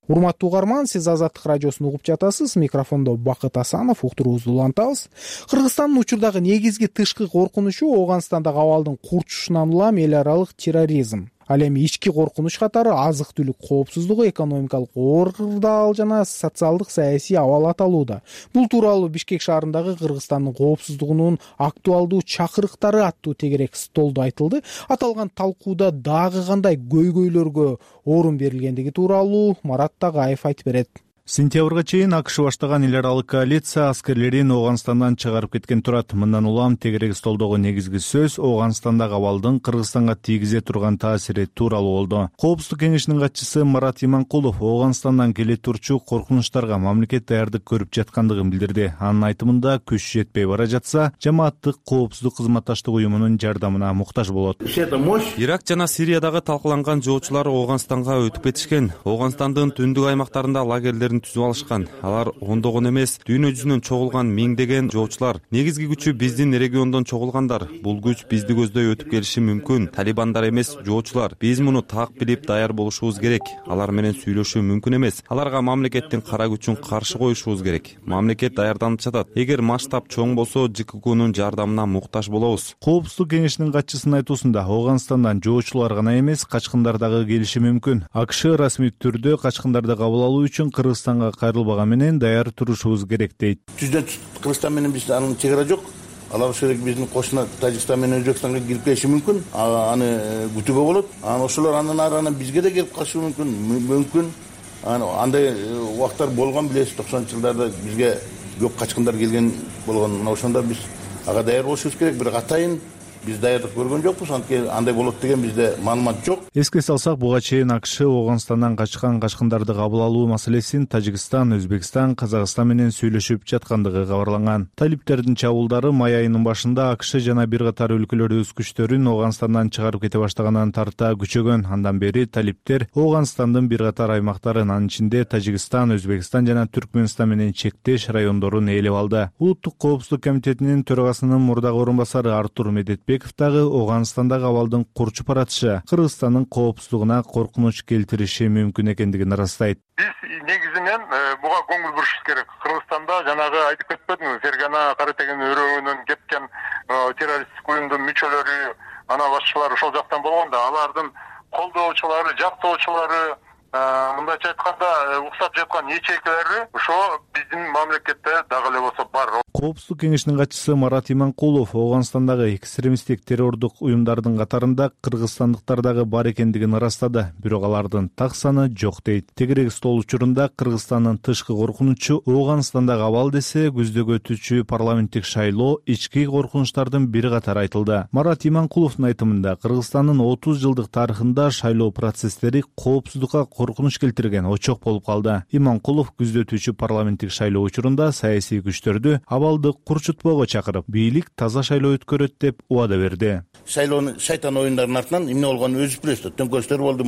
Урматтуу угарман, сиз Азаттык радиосун угуп жатасыз. Микрофондо Бакыт Асанов, уктуруубузду улантабыз. Кыргызстандын учурдагы негизги тышкы коркунучу Ооганстандагы абалдын курчушунан улам эл аралык терроризм. Ал эми ички коркунуч катары азык-түлүк коопсуздугу, экономикалык оордал жана социалдык саясий абал аталууда. Бул тууралуу Бишкек шаарындагы Кыргызстандын коопсуздугунун актуалдуу чакырыктары аттуу тегерек столдо айтылды. Аталган талкууда дагы кандай көйгөйлөргө орун берилгендиги тууралуу Марат Тагаев айтып берет. Сентябрга чейин АКШ баштаган эл аралык коалиция аскерлерин Ооганстандан чыгарып кеткен турат. Мындан улам тегерек столдогу негизги сөз Ооганстандагы абалдын Кыргызстанга тийгизе турган таасири тууралуу болду. Коопсуздук кеңешинин катчысы Марат Иманкулов Ооганстандан келе турчу коркунучтарга мамлекет даярдык көрүп жаткандыгын билдирди. Анын айтымында күч жетпей бара жатса, жамааттык коопсуздук кызматташтык уюмунун жардамына муктаж болот. Ирак жана Сириядагы талкаланган жоочулар Ооганстанга өтүп кетишкен. Ооганстандын түндүк аймактарында лагерлер түзүп алышкан. Алар ондогон эмес, дүйнө жүзүнөн чогулган миңдеген жоочулар. Негизги күчү биздин региондон чогулгандар. Бул күч бизди көздөй өтүп келиши мүмкүн. Талибандар эмес, жоочулар. Биз муну так билип даяр болушубуз керек. Алар менен сүйлөшүү мүмкүн эмес. Аларга мамлекеттин кара күчүн каршы коюшубуз керек. Мамлекет даярданып жатат. Эгер масштаб чоң болсо, ЖККнун жардамына муктаж болобуз. Коопсуздук кеңешинин катчысынын айтуусунда Ооганстандан жоочулар гана эмес, качкындар дагы келиши мүмкүн. АКШ расмий түрдө качкындарды кабыл алуу үчүн Кыргызстанга кайрылбаган менен даяр турушубуз керек дейт. Түздөн Кыргызстан менен биздин анын чегара жок. Алар ошол биздин кошуна Тажикстан менен Өзбекстанга кирип келиши мүмкүн. Аны күтүүгө болот. Анан ошолор андан ары бизге да келип калышы мүмкүн. Мүмкүн. Андай убактар болгон билесиз, токсонунчу жылдарда бизге көп качкындар келген болгон. Ошондо биз ага даяр болушубуз керек. Бирок атайын биз даярдык көргөн жокпуз, анткени андай болот деген бизде маалымат жок. Эске салсак, буга чейин АКШ Ооганстандан качкан качкындарды кабыл алуу маселесин Тажикстан, Өзбекстан, Казакстан менен сүйлөшүп жаткандыгы кабарланган. Талиптердин чабуулдары май айынын башында АКШ жана бир катар өлкөлөр өз күчтөрүн Ооганстандан чыгарып кете баштагандан тарта күчөгөн. Андан бери талиптер Ооганстандын бир катар аймактарын, анын ичинде Тажикстан, Өзбекстан жана Түркмөнстан менен чектеш райондорун ээлеп алды. Улуттук коопсуздук комитетинин төрагасынын мурдагы орун басары Артур Медетбеков дагы Ооганстандагы абалдын курчуп баратышы Кыргызстандын коопсуздугуна коркунуч келтириши мүмкүн экендигин ырастайт. Биз негизинен буга көңүл бурушубуз керек. Кыргызстанда жанагы айтып кетпедиңби, Фергана Кара Теген өрөөгүнөн кеткен террористтик уюмдун мүчөлөрү, ана башчылары ошол жактан болгондо, алардын колдоочулары, жактоочулары, мындайча айтканда уксап жаткан ячейкалары ошо биздин мамлекетте дагы эле болсо бар. Коопсуздук кеңешинин катчысы Марат Иманкулов Ооганстандагы экстремисттик террордук уюмдардын катарында кыргызстандыктар дагы бар экендигин ырастады, бирок алардын так саны жок дейт. Тегерек стол учурунда Кыргызстандын тышкы коркунучу Ооганстандагы абал десе, күздөгү өтүүчү парламенттик шайлоо ички коркунучтардын бири катары айтылды. Марат Иманкуловдун айтымында, Кыргызстандын отуз жылдык тарыхында шайлоо процесстери коопсуздукка коркунуч келтирген очок болуп калды. Иманкулов күздө өтүүчү парламенттик шайлоо учурунда саясий күчтөрдү абалды курчутпоого чакырып, бийлик таза шайлоо өткөрөт деп убада берди. Шайлоонун шайтан оюндарынын артынан эмне болгонун өзүбүз билебиз. Төңкөрүштөр болду,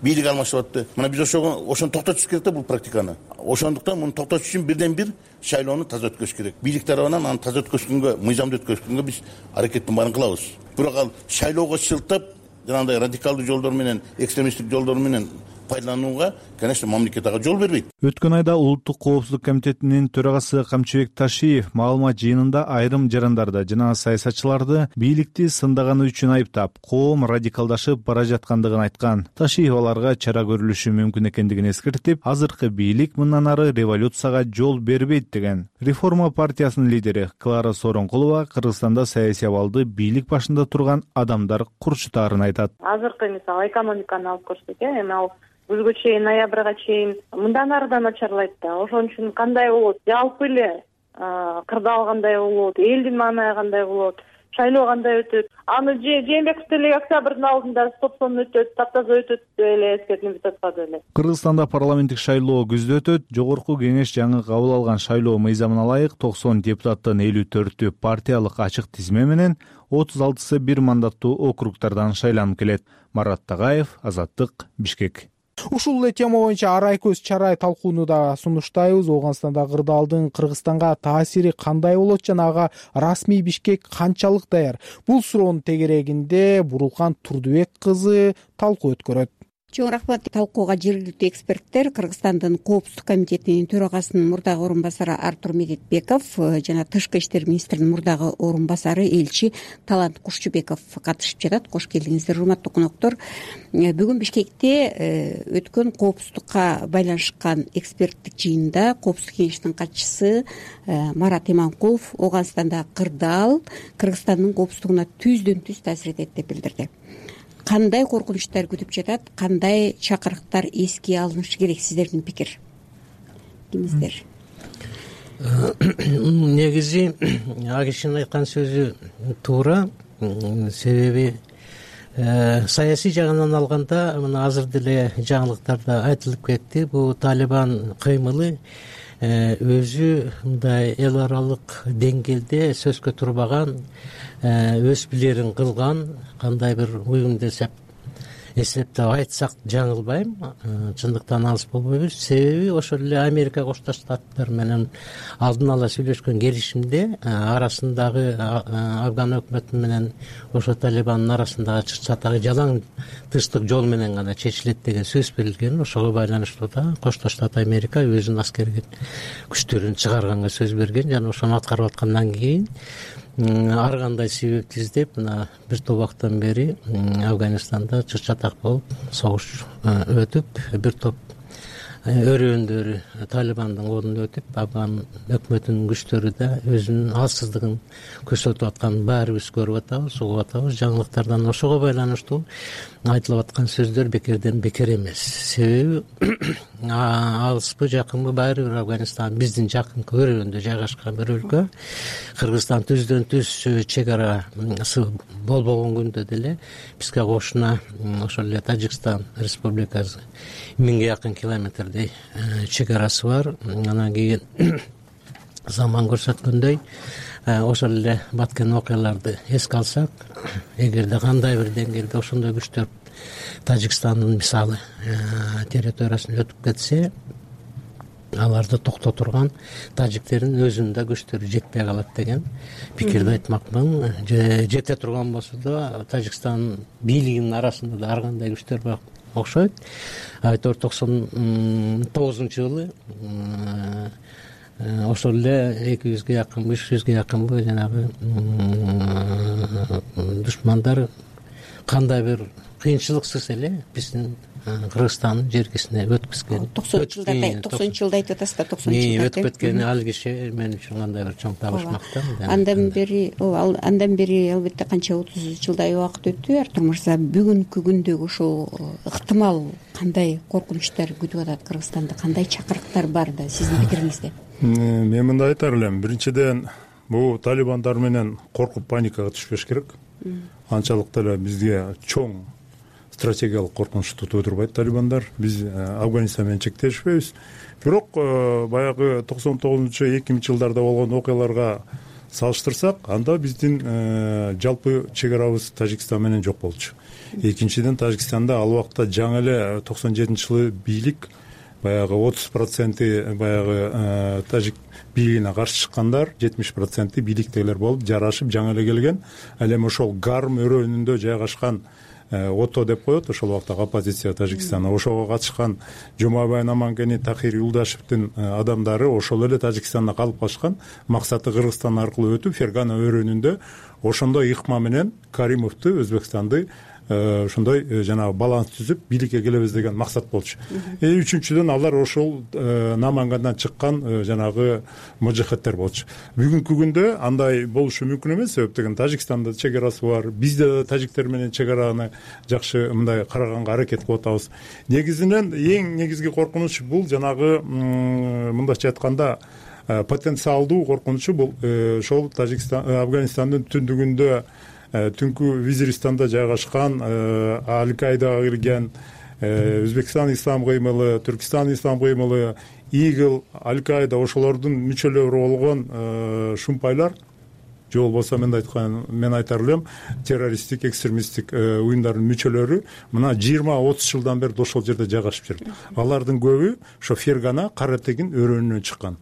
бийлик алмашып атты. Мына биз ошого ошону токтотушубуз керек да, бул практиканы. Ошондуктан муну токтотуш үчүн бирден бир шайлоону таза өткөрүш керек. Бийлик тарабынан аны таза өткөрүшкөнгө, мыйзамды өткөрүшкөнгө биз аракеттин баарын кылабыз. Бирок ал шайлоого шылтап, жанагындай радикалдуу жолдор менен, экстремисттик жолдор менен пайдаланууга, конечно, мамлекет ага жол бербейт. Өткөн айда Улуттук коопсуздук комитетинин төрагасы Камчыбек Ташиев маалымат жыйынында айрым жарандарды жана саясатчыларды бийликти сындаганы үчүн айыптап, коом радикалдашып бара жаткандыгын айткан. Ташиев аларга чара көрүлүшү мүмкүн экендигин эскертип, азыркы бийлик мындан ары революцияга жол бербейт деген. Реформа партиясынын лидери Клара Сооронкулова Кыргызстанда саясий абалды бийлик башында турган адамдар курчутаарын айтат. Азыркы мисалы экономиканы алып көрсөк, эми ал күзгө чейин, ноябрга чейин мындан ары да начарлайт да. Ошон үчүн кандай болот? Жалпы эле кырдаал кандай болот? Элдин маанайы кандай болот? Шайлоо кандай өтөт? Аны Жээнбеков деле октябрдын алдында стоп-сон өтөт, таптаза өтөт деп эле эскертип жатпады эле. Кыргызстанда парламенттик шайлоо күздө өтөт. Жогорку кеңеш жаңы кабыл алган шайлоо мыйзамына ылайык токсон депутаттын элүү төртү партиялык ачык тизме менен, отуз алтысы бир мандаттуу округдардан шайланып келет. Марат Тагаев, Азаттык, Бишкек. Ушул эле тема боюнча арай көз чарай талкууну да сунуштайбыз. Ооганстанда кырдаалдын Кыргызстанга таасири кандай болот жана ага расмий Бишкек канчалык даяр? Бул суроонун тегерегинде Бурулкан Турдубек кызы талкуу өткөрөт. Чоң рахмат. Талкууга жергиликтүү эксперттер Кыргызстандын коопсуздук комитетинин төрагасынын мурдагы орун басары Артур Медетбеков жана Тышкы иштер министринин мурдагы орун басары элчи Талант Кушчубеков катышып жатат. Кош келдиңиздер, урматтуу коноктор. Бүгүн Бишкекте өткөн коопсуздукка байланышкан эксперттик жыйында коопсуздук кеңешинин катчысы Марат Иманкулов Ооганстандагы кырдаал Кыргызстандын коопсуздугуна түздөн түз таасир этет деп билдирди. Кандай коркунучтар күтүп жатат, кандай чакырыктар эске алынышы керек, сиздердин пикир кимиздер? Негизи Агишинин айткан сөзү туура, себеби саясий жагынан алганда мына азыр деле жаңылыктарда айтылып кетти, бул Талибан кыймылы өзү мындай эл аралык деңгээлде сөзгө турбаган, өз билерин кылган кандай бир уюм десеп эсептеп айтсак жаңылбайм, чындыктан алыс болбойбуз. Себеби ошол эле Америка Кошташ Штаттар менен алдын ала сүйлөшкөн келишимде арасындагы Афган өкмөтү менен ошо Талибандын арасындагы чатагы жалаң тыштык жол менен гана чечилет деген сөз берилген. Ошого байланыштуу да Кошташ Штат Америка өзүнүн аскерге күчтөрүн чыгарганга сөз берген жана ошону аткарып аткандан кийин ар кандай себепти издеп мына бир топ убакыттан бери Афганистанда чыр-чатак болуп согуш өтүп, бир топ өрөөндөрү Талибандын колуна өтүп, афган өкмөтүнүн күчтөрү да өзүнүн алсыздыгын көрсөтүп атканын баарыбыз көрүп атабыз, угуп атабыз. Жаңылыктардан ошого байланыштуу айтылып аткан сөздөр бекерден бекер эмес. Себеби алыспы, жакынбы, баары бир Афганистан биздин жакынкы өрөөндө жайгашкан бир өлкө. Кыргызстан түздөн түз чек арасы болбогон күндө деле бизге кошуна ошол эле Тажикстан Республикасы миңге жакын километрдей чек арасы бар. Анан кийин заман көрсөткөндөй ошол эле баткен окуяларды эске алсак, эгерде кандай бир деңгээлде ошондой күчтөр Тажикстандын мисалы территориясынан өтүп кетсе, аларды токтотурган тажиктердин өзүнүн да күчтөрү жетпей калат деген пикирди айтмакмын. Жете турган болсо да Тажикстан бийлигинин арасында да ар кандай күчтөр бар окшойт. Айтор токсон тогузунчу жылы ошол эле эки жүзгө жакынбы, үч жүзгө жакынбы жанагы душмандар кандай бир кыйынчылыксыз эле биздин Кыргызстандын жеркесине өткүзгөн. токсонунчу жылдарда токсонунчу жылда айтып атасыз да, токсонунчу жылда өтүп кеткени ал киши мен үчүн кандай бир чоң табышмактан. Андан бери, ооба, андан бери албетте канча отуз жылдай убакыт өттү. Артур мырза, бүгүнкү күндөгү ошол ыктымал кандай коркунучтар күтүп атат Кыргызстанды, кандай чакырыктар бар да сиздин пикириңизде? Мен мындай айтар элем. Биринчиден, бул талибандар менен коркуп паникага түшпөш керек. Анчалык деле бизге чоң стратегиялык коркунуч тутуп турбайт талибандар. Биз Афганистан менен чектешпейбиз. Бирок баягы токсон тогузунчу эки миңинчи жылдарда болгон окуяларга салыштырсак, анда биздин жалпы чек арабыз Тажикстан менен жок болчу. Экинчиден, Тажикстанда ал убакта жаңы эле токсон жетинчи жылы бийлик баягы отуз проценти баягы тажик бийлигине каршы чыккандар, жетимиш проценти бийликтегилер болуп жарашып жаңы эле келген. Ал эми ошол Гарм өрөөнүндө жайгашкан ото деп коет, ошол убактагы оппозиция Тажикстанда, ошого катышкан Жумабай Намангени, Тахир Юлдашевдин адамдары ошол эле Тажикстанда калып калышкан. Максаты Кыргызстан аркылуу өтүп, Фергана өрөөнүндө ошондой ыкма менен Каримовду, Өзбекстанды ошондой жанагы баланс түзүп бийликке келебиз деген максат болчу. Үчүнчүдөн, алар ошол Намангандан чыккан жанагы мужахеттер болчу. Бүгүнкү күндө андай болушу мүмкүн эмес, себеп деген Тажикстанда чек арасы бар. Бизде да тажиктер менен чек араны жакшы мындай караганга аракет кылып атабыз. Негизинен эң негизги коркунуч бул жанагы мындайча айтканда потенциалдуу коркунучу бул ошол Тажикстан, Афганистандын түндүгүндө түнкү Визиристанда жайгашкан Аль-Каидага кирген Өзбекстан ислам кыймылы, Түркистан ислам кыймылы, Игил, Аль-Каида ошолордун мүчөлөрү болгон шумпайлар, же болбосо мен айткан, мен айтар элем, террористтик, экстремисттик уюмдардын мүчөлөрү мына жыйырма отуз жылдан бери ошол жерде жайгашып жүрүп. Алардын көбү ошо Фергана, Каратегин өрөөнүнөн чыккан.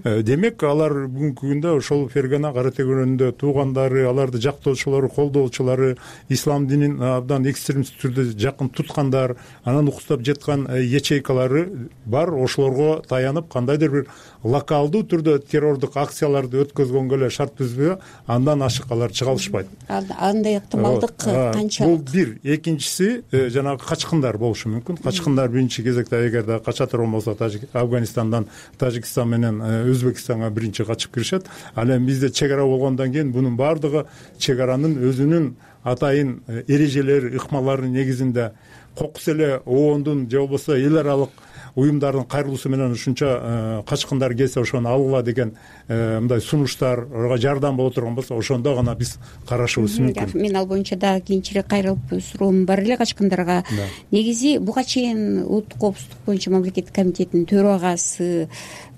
Демек, алар бүгүнкү күндө ошол Фергана, Каратегин өрөөнүндө туугандары, аларды жактоочулары, колдоочулары, ислам динин абдан экстремист түрдө жакын туткандар, анан укуктап жаткан ячейкалары бар. Ошолорго таянып, кандайдыр бир локалдуу түрдө террордук акцияларды өткөзгөнгө эле шарт түзбөй, андан ашык алар чыга алышпайт. Андай ыктымалдык канчалык? Бул бир. Экинчиси, жанагы качкындар болушу мүмкүн. Качкындар биринчи кезекте эгерде кача турган болсо, Афганистандан Тажикстан менен Өзбекстанга биринчи качып киришет. Ал эми бизде чек ара болгондон кийин бунун баардыгы чек аранын өзүнүн атайын эрежелери, ыкмалары негизинде кокус эле оондун же болбосо эл аралык уюмдардын кайрылуусу менен ушунча качкындар келсе ошону алгыла деген мындай сунуштар, ага жардам боло турган болсо, ошондо гана биз карашыбыз мүмкүн. Мен ал боюнча дагы кийинчерээк кайрылып суроом бар эле качкындарга. Негизи буга чейин Улуттук коопсуздук боюнча мамлекеттик комитеттин төрагасы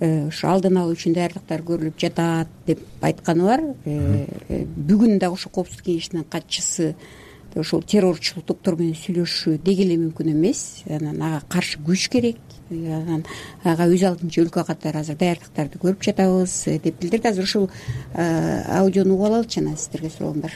ушу алдын алуу үчүн даярдыктар көрүлүп жатат деп айтканы бар. Бүгүн дагы ошо коопсуздук кеңешинин катчысы ошол террорчул топтор менен сүйлөшүү деги эле мүмкүн эмес. Анан ага каршы күч керек. Анан ага өз алдынча өлкө катары азыр даярдыктарды көрүп жатабыз деп билдирди. Азыр ушул аудиону угуп алалычы, анан сиздерге суроом бар.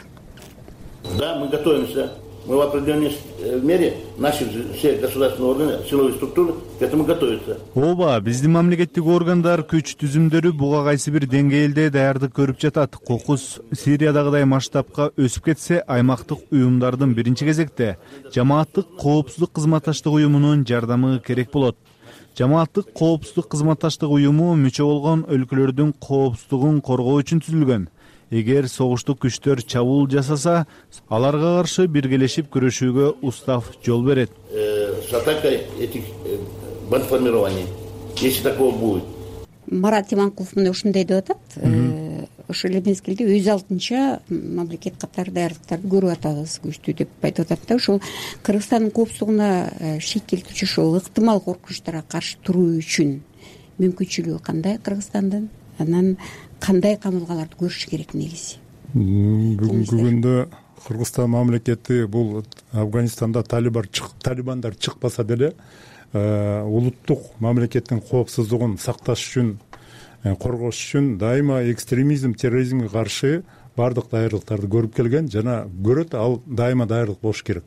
Да, мы готовимся. Мы в определенной мере, наши все государственные органы, силовые структуры к этому готовятся. Ооба, биздин мамлекеттик органдар, күч түзүмдөрү буга кайсы бир деңгээлде даярдык көрүп жатат. Кокус Сириядагыдай масштабка өсүп кетсе, аймактык уюмдардын биринчи кезекте жамааттык коопсуздук кызматташтык уюмунун жардамы керек болот. жамааттык коопсуздук кызматташтык уюму мүчө болгон өлкөлөрдүн коопсуздугун коргоо үчүн түзүлгөн. Эгер согуштук күчтөр чабуул жасаса, аларга каршы биргелешип күрөшүүгө устав жол берет. С атакой этих бандформирований, если такого будет. Марат Иманкулов мына ушундай деп атат. Ошол эле мезгилде өз алдынча мамлекет катары даярдыктарды көрүп атабыз, күчтүү деп айтып атат да. Ошол Кыргызстандын коопсуздугуна шек келтирүүчү ошол ыктымал коркунучтарга каршы туруу үчүн мүмкүнчүлүгү кандай Кыргызстандын? Анан кандай камылгаларды көрүш керек негизи? Бүгүнкү күндө Кыргызстан мамлекети бул Афганистанда талибандар чыкпаса деле улуттук мамлекеттин коопсуздугун сакташ үчүн, коргош үчүн дайыма экстремизм, терроризмге каршы баардык даярдыктарды көрүп келген жана көрөт. Ал дайыма даярдык болуш керек.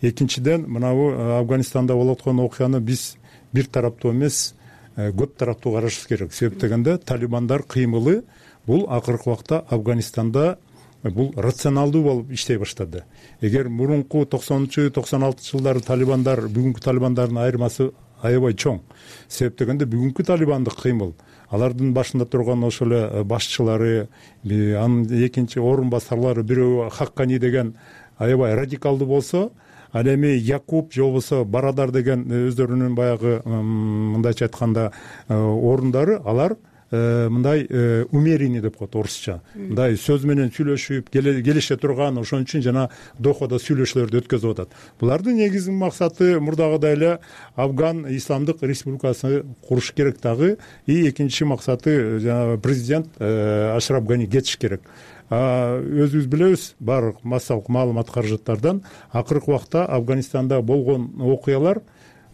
Экинчиден, мынабу Афганистанда болуп аткан окуяны биз бир тараптуу эмес, көп тараптуу карашыбыз керек. Себеп дегенде талибандар кыймылы бул акыркы убакта Афганистанда бул рационалдуу болуп иштей баштады. Эгер мурунку токсонунчу токсон алтынчы жылдары талибандар бүгүнкү талибандардын айырмасы аябай чоң. Себеп дегенде бүгүнкү талибандык кыймыл, алардын башында турган ошол эле башчылары, анын экинчи орун басарлары, бирөө Хаккани деген аябай радикалдуу болсо, ал эми Якуб же болбосо Барадар деген өздөрүнүн баягы мындайча айтканда орундары, алар мындай умеренный деп коет орусча. Мындай сөз менен сүйлөшүп, келише турган, ошон үчүн жана Дохада сүйлөшүүлөрдү өткөзүп атат. Булардын негизги максаты мурдагыдай эле Афган Исламдык Республикасын куруш керек дагы. И экинчи максаты жана президент Ашраф Гани кетиш керек. Өзүбүз билебиз, баардык массалык маалымат каражаттардан акыркы убакта Афганистанда болгон окуялар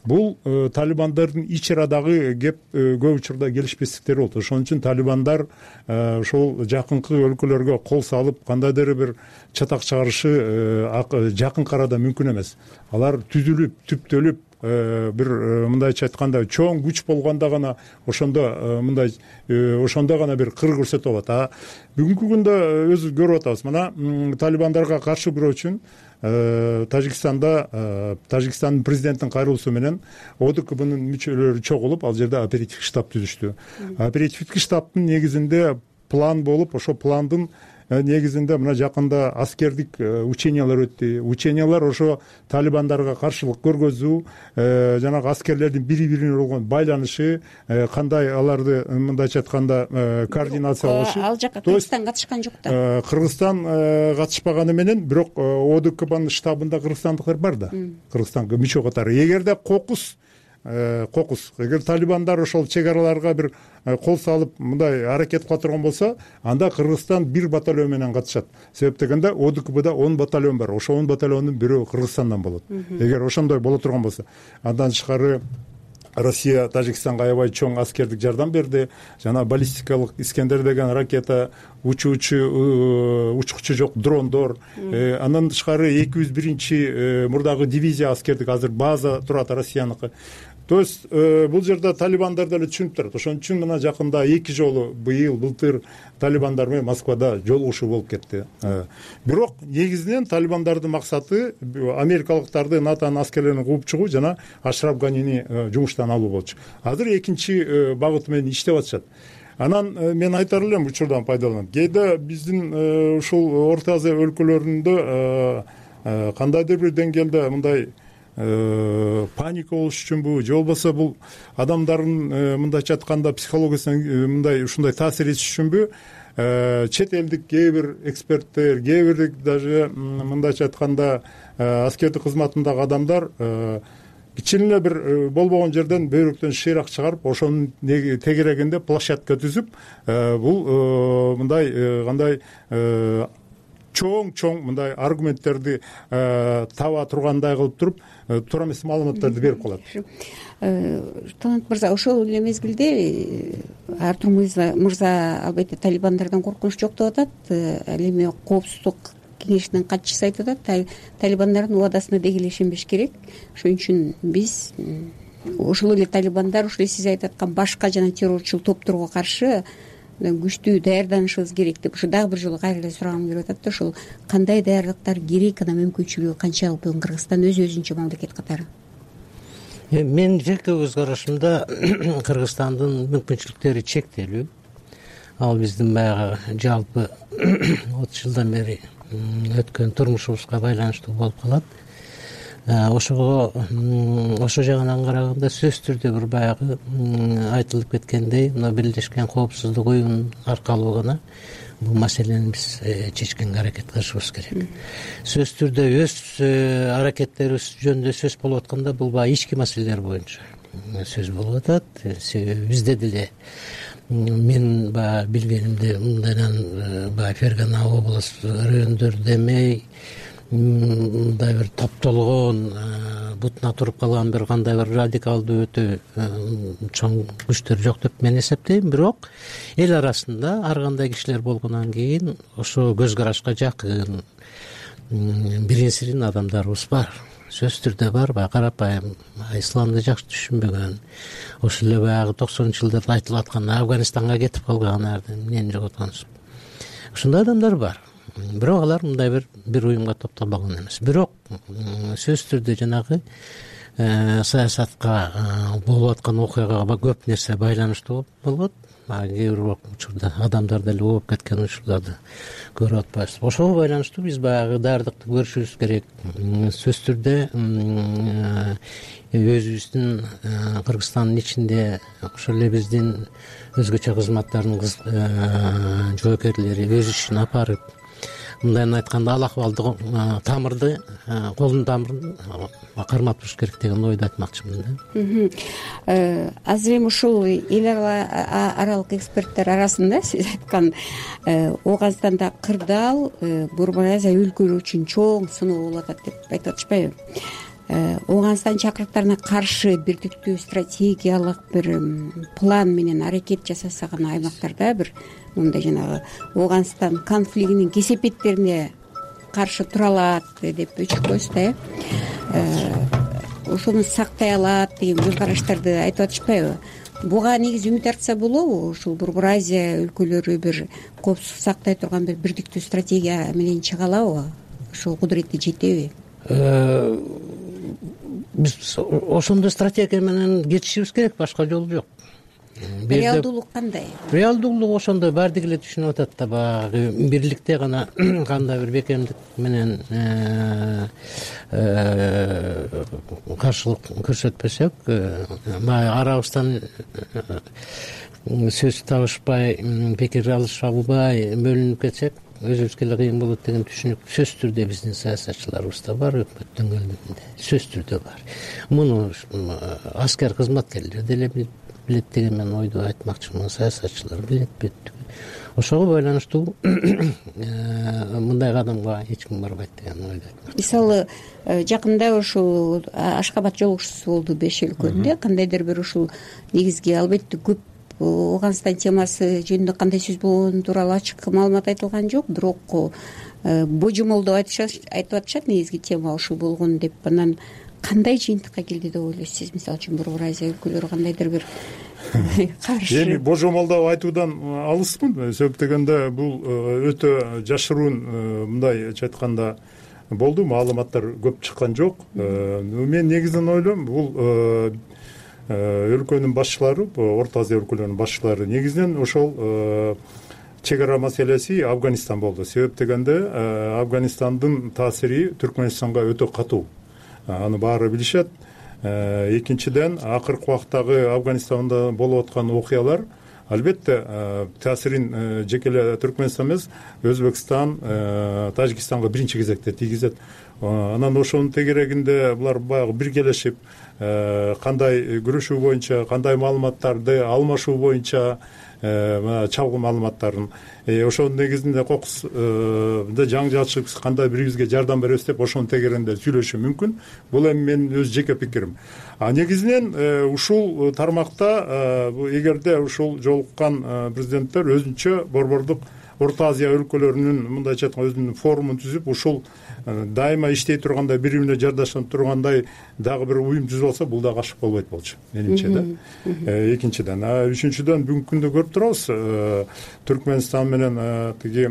бул талибандардын ич арадагы кеп көп учурда келишпестиктер болду. Ошон үчүн талибандар ошол жакынкы өлкөлөргө кол салып кандайдыр бир чатак чыгарышы жакынкы арада мүмкүн эмес. Алар түзүлүп, түптөлүп, бир мындайча айтканда чоң күч болгондо гана ошондо мындай ошондо гана бир кыр көрсөтүп алат. А бүгүнкү күндө өзүбүз көрүп атабыз. Мына талибандарга каршы күрөө үчүн Тажикстанда Тажикстандын президенттин кайрылуусу менен ОДКБнын мүчөлөрү чогулуп, ал жерде оперативдик штаб түзүштү. Оперативдик штабтын негизинде план болуп, ошол пландын негизинде мына жакында аскердик учениялар өттү. Учениялар ошо талибандарга каршылык көргөзүү, жанагы аскерлердин бири-бирине болгон байланышы, кандай аларды мындайча айтканда координация кылышы. Ал жака Кыргызстан катышкан жок да. Кыргызстан катышпаганы менен, бирок ОДКБнын штабында кыргызстандыктар бар да. Кыргызстанга мүчө катары. Эгерде кокус кокус эгер талибандар ошол чек араларга бир кол салып мындай аракет кыла турган болсо, анда Кыргызстан бир батальон менен катышат. Себеп дегенде ОДКБда он батальон бар. Ошол он батальондун бирөө Кыргызстандан болот. Эгер ошондой боло турган болсо, андан тышкары Россия Тажикстанга аябай чоң аскердик жардам берди. Жана баллистикалык Искендер деген ракета, учуучу учкучу жок дрондор, андан тышкары эки жүз биринчи мурдагы дивизия аскердик азыр база турат Россияныкы. То есть бул жерде талибандар деле түшүнүп турат. Ошон үчүн мына жакында эки жолу быйыл былтыр талибандар менен Москвада жолугушуу болуп кетти. Бирок негизинен талибандардын максаты америкалыктарды, НАТОнун аскерлерин кууп чыгуу жана Ашраф Ганини жумуштан алуу болчу. Азыр экинчи багыт менен иштеп атышат. Анан мен айтар элем учурдан пайдаланып, кээде биздин ушул Орто Азия өлкөлөрүндө кандайдыр бир деңгээлде мындай паника болуш үчүнбү же болбосо бул адамдардын мындайча айтканда психологиясына мындай ушундай таасир этиш үчүнбү чет элдик кээ бир эксперттер, кээ бир даже мындайча айтканда аскердик кызматындагы адамдар кичине эле бир болбогон жерден бөйрөктөн шыйрак чыгарып, ошонун тегерегинде площадка түзүп, бул мындай кандай чоң-чоң мындай аргументтерди таба тургандай кылып туруп, туура эмес маалыматтарды берип калат. Талант мырза, ошол эле мезгилде Артур мырза албетте талибандардан коркунуч жок деп атат. Ал эми коопсуздук кеңешинин катчысы айтып атат, талибандардын убадасына деги эле ишенбеш керек. Ошон үчүн биз ошол эле талибандар, ошол эле сиз айтып аткан башка жана террорчул топторго каршы күчтүү даярданышыбыз керек деп ошо дагы бир жолу кайра эле сурагым келип атат да, ошол кандай даярдыктар керек, анан мүмкүнчүлүгү канчалык бүгүн Кыргызстан өз өзүнчө мамлекет катары? менин жеке көз карашымда Кыргызстандын мүмкүнчүлүктөрү чектелүү. Ал биздин баягы жалпы отуз жылдан бери өткөн турмушубузга байланыштуу болуп калат. Ошого ошол жагынан караганда сөзсүз түрдө бир баягы айтылып кеткендей, мына Бирдешкен Коопсуздук уюму аркылуу гана бул маселени биз чечкенге аракет кылышыбыз керек. Сөзсүз түрдө өз аракеттерибиз жөнүндө сөз болуп атканда бул баягы ички маселелер боюнча сөз болуп атат. Себеби бизде деле мен баягы билгенимде мындайдан баягы Фергана облус райондору эмей мындай бир топтолгон бутуна туруп калган бир кандай бир радикалдуу өтө чоң күчтөр жок деп мен эсептейм. Бирок эл арасында ар кандай кишилер болгондон кийин ошо көз карашка жакын бирин-сирин адамдарыбыз бар. Сөзсүз түрдө бар. Баягы карапайым исламды жакшы түшүнбөгөн, ошол эле баягы токсонунчу жылдарда айтылып аткан Афганистанга кетип калган эмнени жоготконсуп. Ошондой адамдар бар. Бирок алар мындай бир бир уюмга топтолбогон эмес. Бирок сөзсүз түрдө жанагы саясатка болуп аткан окуяга көп нерсе байланыштуу болот. Кээ бир учурда адамдар деле ооп кеткен учурларды көрүп атпайбыз. Ошого байланыштуу биз баягы даярдыкты көрүшүбүз керек. Сөзсүз түрдө өзүбүздүн Кыргызстандын ичинде ошол эле биздин өзгөчө кызматтардын жоокерлери өз ишин апарып, мындайын айтканда ал акыбалды тамырды, колдун тамырын кармап туруш керек деген ойду айтмакчымын да. Азыр эми ушул эл аралык эксперттер арасында сиз айткан Ооганстанда кырдаал Борбор Азия өлкөлөрү үчүн чоң сыноо болуп атат деп айтып атышпайбы? Ооганстан чакырыктарына каршы бирдиктүү стратегиялык бир план менен аракет жасаса гана аймактарда бир мындай жанагы Ооганстан конфликтинин кесепеттерине каршы тура алат деп өчүкпөйсүз да, э? Ошону сактай алат деген көз караштарды айтып атышпайбы? Буга негизи үмүт артса болобу? Ушул Борбор Азия өлкөлөрү бир коопсуздук сактай турган бир бирдиктүү стратегия менен чыга алабы? Ошол кудуретти жетеби? Биз ошондой стратегия менен кетишибиз керек, башка жол жок. Реалдуулук кандай? Реалдуулук ошондой баардыгы эле түшүнүп атат да, баягы бирликте гана кандай бир бекемдик менен каршылык көрсөтпөсөк, баягы арабыздан сөз табышпай, пикир алышабай бөлүнүп кетсек, өзүбүзгө эле кыйын болот деген түшүнүк сөзсүз түрдө биздин саясатчыларыбызда бар, өкмөт дөңгөлүгүндө сөзсүз түрдө бар. Муну аскер кызматкерлер деле билет деген мен ойду айтмакчымын. Саясатчылар билет бүттү. Ошого байланыштуу мындай кадамга эч ким барбайт деген ойду айтмакчымын. Мисалы, жакында ушул Ашкабад жолугушуусу болду беш өлкөнүндө. Кандайдыр бир ушул негизги албетте көп Ооганстан темасы жөнүндө кандай сөз болгону тууралуу ачык маалымат айтылган жок, бирок божомолдоп айтып атышат негизги тема ушул болгон деп. Анан кандай жыйынтыкка келди деп ойлойсуз? Мисалы үчүн Борбор Азия өлкөлөрү кандайдыр бир каршы? Эми божомолдоп айтуудан алыспын. Себеп дегенде бул өтө жашыруун, мындайча айтканда болду, маалыматтар көп чыккан жок. Мен негизинен ойлойм, бул өлкөнүн башчылары, Орто Азия өлкөлөрүнүн башчылары негизинен ошол чек ара маселеси Афганистан болду. Себеп дегенде Афганистандын таасири Түркмөнстанга өтө катуу. Аны баары билишет. Экинчиден, акыркы убактагы Афганистанда болуп аткан окуялар албетте таасирин жеке эле Түркмөнстан эмес, Өзбекстан, Тажикстанга биринчи кезекте тийгизет. Анан ошонун тегерегинде булар баягы биргелешип, кандай күрөшүү боюнча, кандай маалыматтарды алмашуу боюнча, чалгуу маалыматтарын ошонун негизинде кокусда жаңжалышып кандай бирибизге жардам беребиз деп ошонун тегерегинде сүйлөшүү мүмкүн. Бул эми менин өз жеке пикирим. А негизинен ушул тармакта эгерде ушул жолуккан президенттер өзүнчө борбордук Орто Азия өлкөлөрүнүн мындайча айтканда өзүнүн форумун түзүп, ушул дайыма иштей тургандай, бири бирине жардашып тургандай дагы бир уюм түзүп алса, бул дагы ашык болбойт болчу менимче да. Экинчиден, үчүнчүдөн бүгүнкү күндө көрүп турабыз, Түркмөнстан менен тиги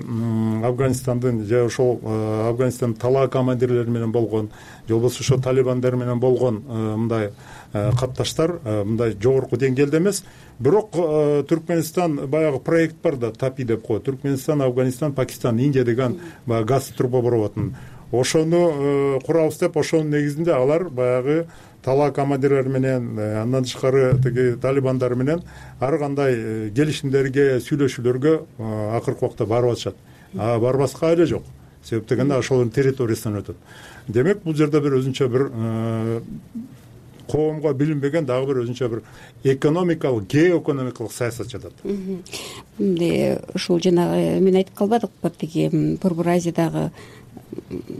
Афганистандын же ошол Афганистандын талаа командирлери менен болгон, же болбосо ошо талибандар менен болгон мындай катташтар мындай жогорку деңгээлде эмес. Бирок Түркмөнстан баягы проект бар да, ТАПИ деп коет. Түркмөнстан, Афганистан, Пакистан, Индия деген баягы газ трубопроводун. Ошону курабыз деп, ошонун негизинде алар баягы талаа командирлери менен, андан тышкары тиги талибандар менен ар кандай келишимдерге, сүйлөшүүлөргө акыркы убакта барып атышат. А барбаска эле жок. Себеп дегенде ошолордун территориясынан өтөт. Демек, бул жерде бир өзүнчө бир коомго билинбеген дагы бир өзүнчө бир экономикалык, геоэкономикалык саясат жатат. Эмне ушул жанагы мен айтып калбадыкпы, тиги Борбор Азиядагы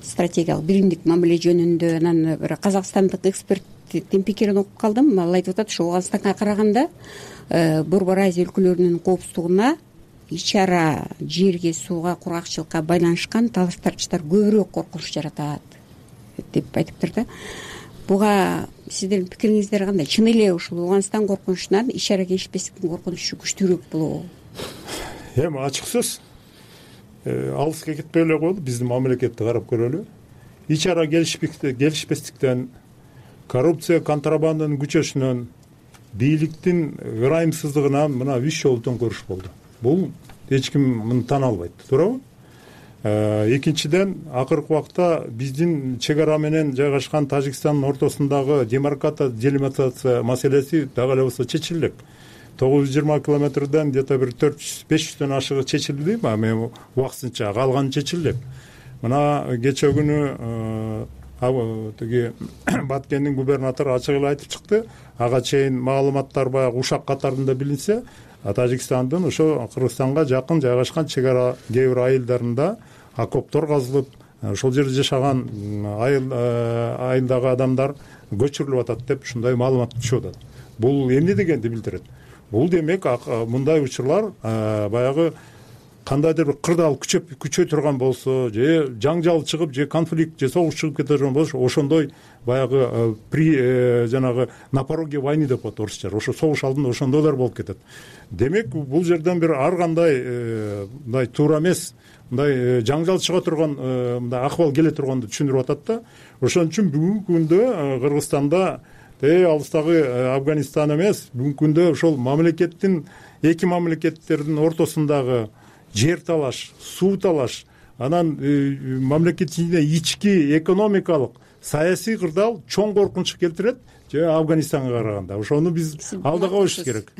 стратегиялык биримдик мамиле жөнүндө, анан бир казакстандык эксперттин пикирин окуп калдым. Ал айтып атат, ушу Ооганстанга караганда Борбор Азия өлкөлөрүнүн коопсуздугуна ич ара жерге, сууга, кургакчылыкка байланышкан талаш тартыштар көбүрөөк коркунуч жаратат деп айтыптыр да. Буга сиздердин пикириңиздер кандай? Чын эле ушул Ооганстан коркунучунан ич ара келишпестиктин коркунучу күчтүүрөөк болобу? Эми ачык сөз. Алыска кетпей эле коелу, биздин мамлекетти карап көрөлү. Ич ара келишпестиктен, коррупция, контрабанданын күчөшүнөн, бийликтин ырайымсыздыгынан мына үч жолу төңкөрүш болду. Бул эч ким муну тана албайт, туурабы? Экинчиден, акыркы убакта биздин чек ара менен жайгашкан Тажикстандын ортосундагы демаркация, делимитация маселеси дагы эле болсо чечилет. тогуз жүз жыйырма километрден где-то бир төрт жүз беш жүздөн ашыгы чечилди, эми убактысынча калганы чечилет. Мына кече күнү тиги Баткендин губернатору ачык эле айтып чыкты. Ага чейин маалыматтар баягы ушак катарында билинсе, Тажикстандын ошо Кыргызстанга жакын жайгашкан чек ара кээ бир айылдарында окоптор казылып, ошол жерде жашаган айылдагы адамдар көчүрүлүп атат деп ушундай маалымат түшүп атат. Бул эмне дегенди билдирет? Бул демек мындай учурлар баягы кандайдыр бир кырдаал күчөй турган болсо, же жаңжал чыгып, же конфликт, же согуш чыгып кете турган болсо, ошондой баягы при жанагы на пороге войны деп коет орусча. Ошо согуш алдында ошондойлор болуп кетет. Демек, бул жерден бир ар кандай мындай туура эмес, мындай жаңжал чыга турган мындай акыбал келе турганды түшүндүрүп атат да. Ошон үчүн бүгүнкү күндө Кыргызстанда алыстагы Афганистан эмес, бүгүнкү күндө ошол мамлекеттин, эки мамлекеттердин ортосундагы жер талаш, суу талаш, анан мамлекеттин ички экономикалык, саясий кырдаал чоң коркунуч келтирет же Афганистанга караганда. Ошону биз алдыга коюшубуз керек.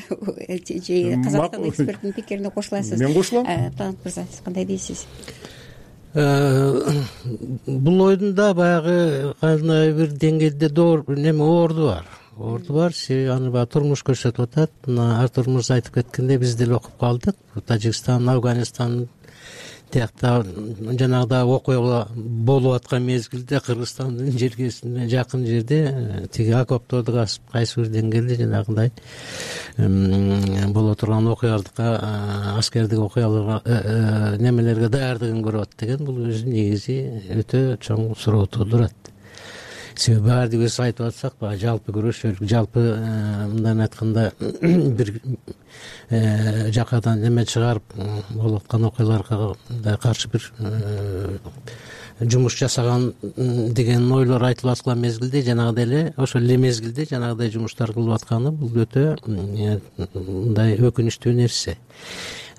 Казакстан эксперттин пикирине кошуласыз. Мен кошулам. Талант мырза, сиз кандай дейсиз? Бул ойдун да баягы кандай бир деңгээлде доор неме орду бар. Орду бар, аны баягы турмуш көрсөтүп атат. Мына Артур мырза айтып кеткендей, биз деле окуп калдык. Тажикстан, Афганистан тиякта жанагыдай окуялар болуп аткан мезгилде Кыргызстандын жергесине жакын жерде тиги окопторду касып, кайсы бир деңгээлде жанагындай боло турган окуяларга, аскердик окуяларга, немелерге даярдыгын көрүп атат деген, бул өзү негизи өтө чоң суроо туудурат. Себеби баардыгы биз айтып атсак, баягы жалпы күрөшөлүк, жалпы мындан айтканда бир жакадан неме чыгарып болуп аткан окуяларга каршы бир жумуш жасаган деген ойлор айтылып аткан мезгилде, жанагыдай эле ошол эле мезгилде жанагыдай жумуштар кылып атканы бул өтө мындай өкүнүчтүү нерсе.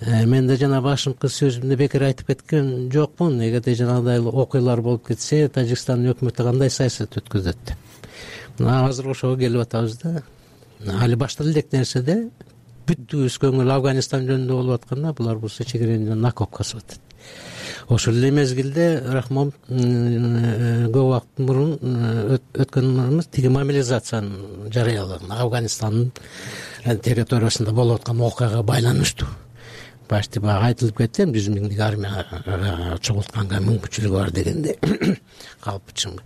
Мен да жана башыңкы сөзүмдө бекер айтып кеткен жокмун. Эгерде жанагыдай окуялар болуп кетсе, Тажикстандын өкмөтү кандай саясат өткөзөт деп. Мына азыр ошого келип атабыз да. Али башта элек нерседе бүттүбүз көңүл Афганистан жөнүндө болуп атканда, булар болсо чегиренден окоп касып атат. Ошол эле мезгилде Рахмон көп убакыт мурун өткөнүбүз тиги мобилизацияны жарыялаган Афганистандын территориясында болуп аткан окуяга байланыштуу. почти баягы айтылып кетти, жүз миңдик армия чогултканга мүмкүнчүлүгү бар дегендей калпычым.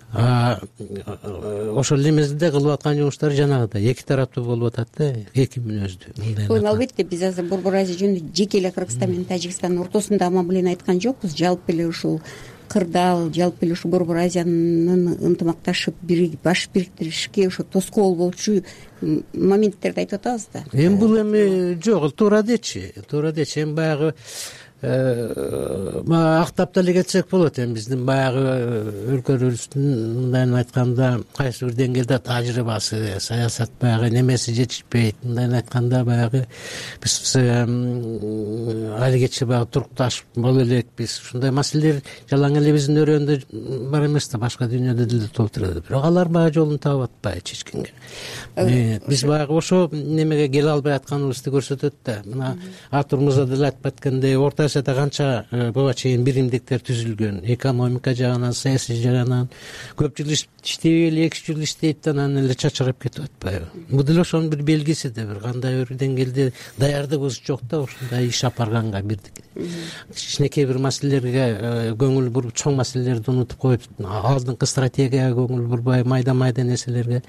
Ошол эле мезгилде кылып аткан жумуштары жанагыдай эки тараптуу болуп атат да, эки мүнөздүү. Албетте биз азыр Борбор Азия жөнүндө жеке эле Кыргызстан менен Тажикстандын ортосунда аман белен айткан жокпуз. Жалпы эле ушул кырдаал, жалпы эле ушу Борбор Азиянын ынтымакташып баш бириктиришке ошо тоскоол болчу моменттерди айтып атабыз да. Эми бул эми жок, туура дечи, туура дечи. Эми баягы актап деле кетсек болот. Эми биздин баягы өлкөбүздүн мындайын айтканда кайсы бир деңгээлде тажрыйбасы, саясат баягы немеси жетишпейт. Мындайын айтканда баягы биз алигече баягы турукташып боло элекпиз. Ушундай маселелер жалаң эле биздин өрөөндө бар эмес да, башка дүйнөдө деле толуп турат. Бирок алар баягы жолун таап атпайт чечкенге. Биз баягы ошо немеге келе албай атканыбызды көрсөтөт да. Мына Артур мырза деле айтып аткандай, Орто Азияда канча буга чейин биримдиктер түзүлгөн, экономика жагынан, саясий жагынан. Көп жыл иштей эле, эки жыл иштейт да анан эле чачырап кетип атпайбы? Бул деле ошонун бир белгиси да, бир кандай бир деңгээлде даярдыгыбыз жок да ушундай иш алып барганга. Бирдик кичинекей бир маселелерге көңүл буруп, чоң маселелерди унутуп коюп, алдыңкы стратегияга көңүл бурбай, майда-майда нерселерге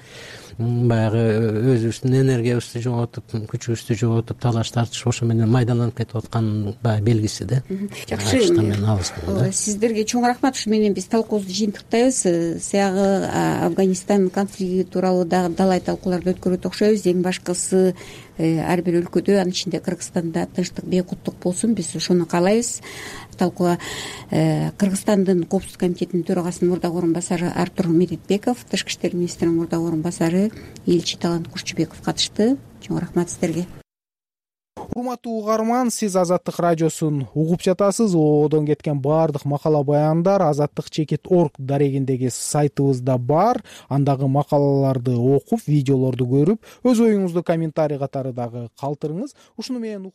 баягы өзүбүздүн энергиябызды жоготуп, күчүбүздү жоготуп, талаш тартышып ошо менен майдаланып кетип аткан баягы белгиси да. Жакшы, сиздерге чоң рахмат. Ушу менен биз талкуубузду жыйынтыктайбыз. Сиягы Афганистан конфликти тууралуу дагы далай талкууларды өткөрөт окшойбуз. Эң башкысы ар бир өлкөдө, анын ичинде Кыргызстанда тынчтык, бейкуттук болсун. Биз ошону каалайбыз. Талкууга Кыргызстандын Коопсуздук комитетинин төрагасынын мурдагы орун басары Артур Медетбеков, Тышкы иштер министринин мурдагы орун басары элчи Талант Курчубеков катышты. Чоң рахмат сиздерге. Урматтуу угарман, сиз Азаттык радиосун угуп жатасыз. Оодон кеткен баардык макала баяндар азаттык чекит орг дарегиндеги сайтыбызда бар. Андагы макалаларды окуп, видеолорду көрүп, өз оюңузду комментарий катары дагы калтырыңыз. Ушуну менен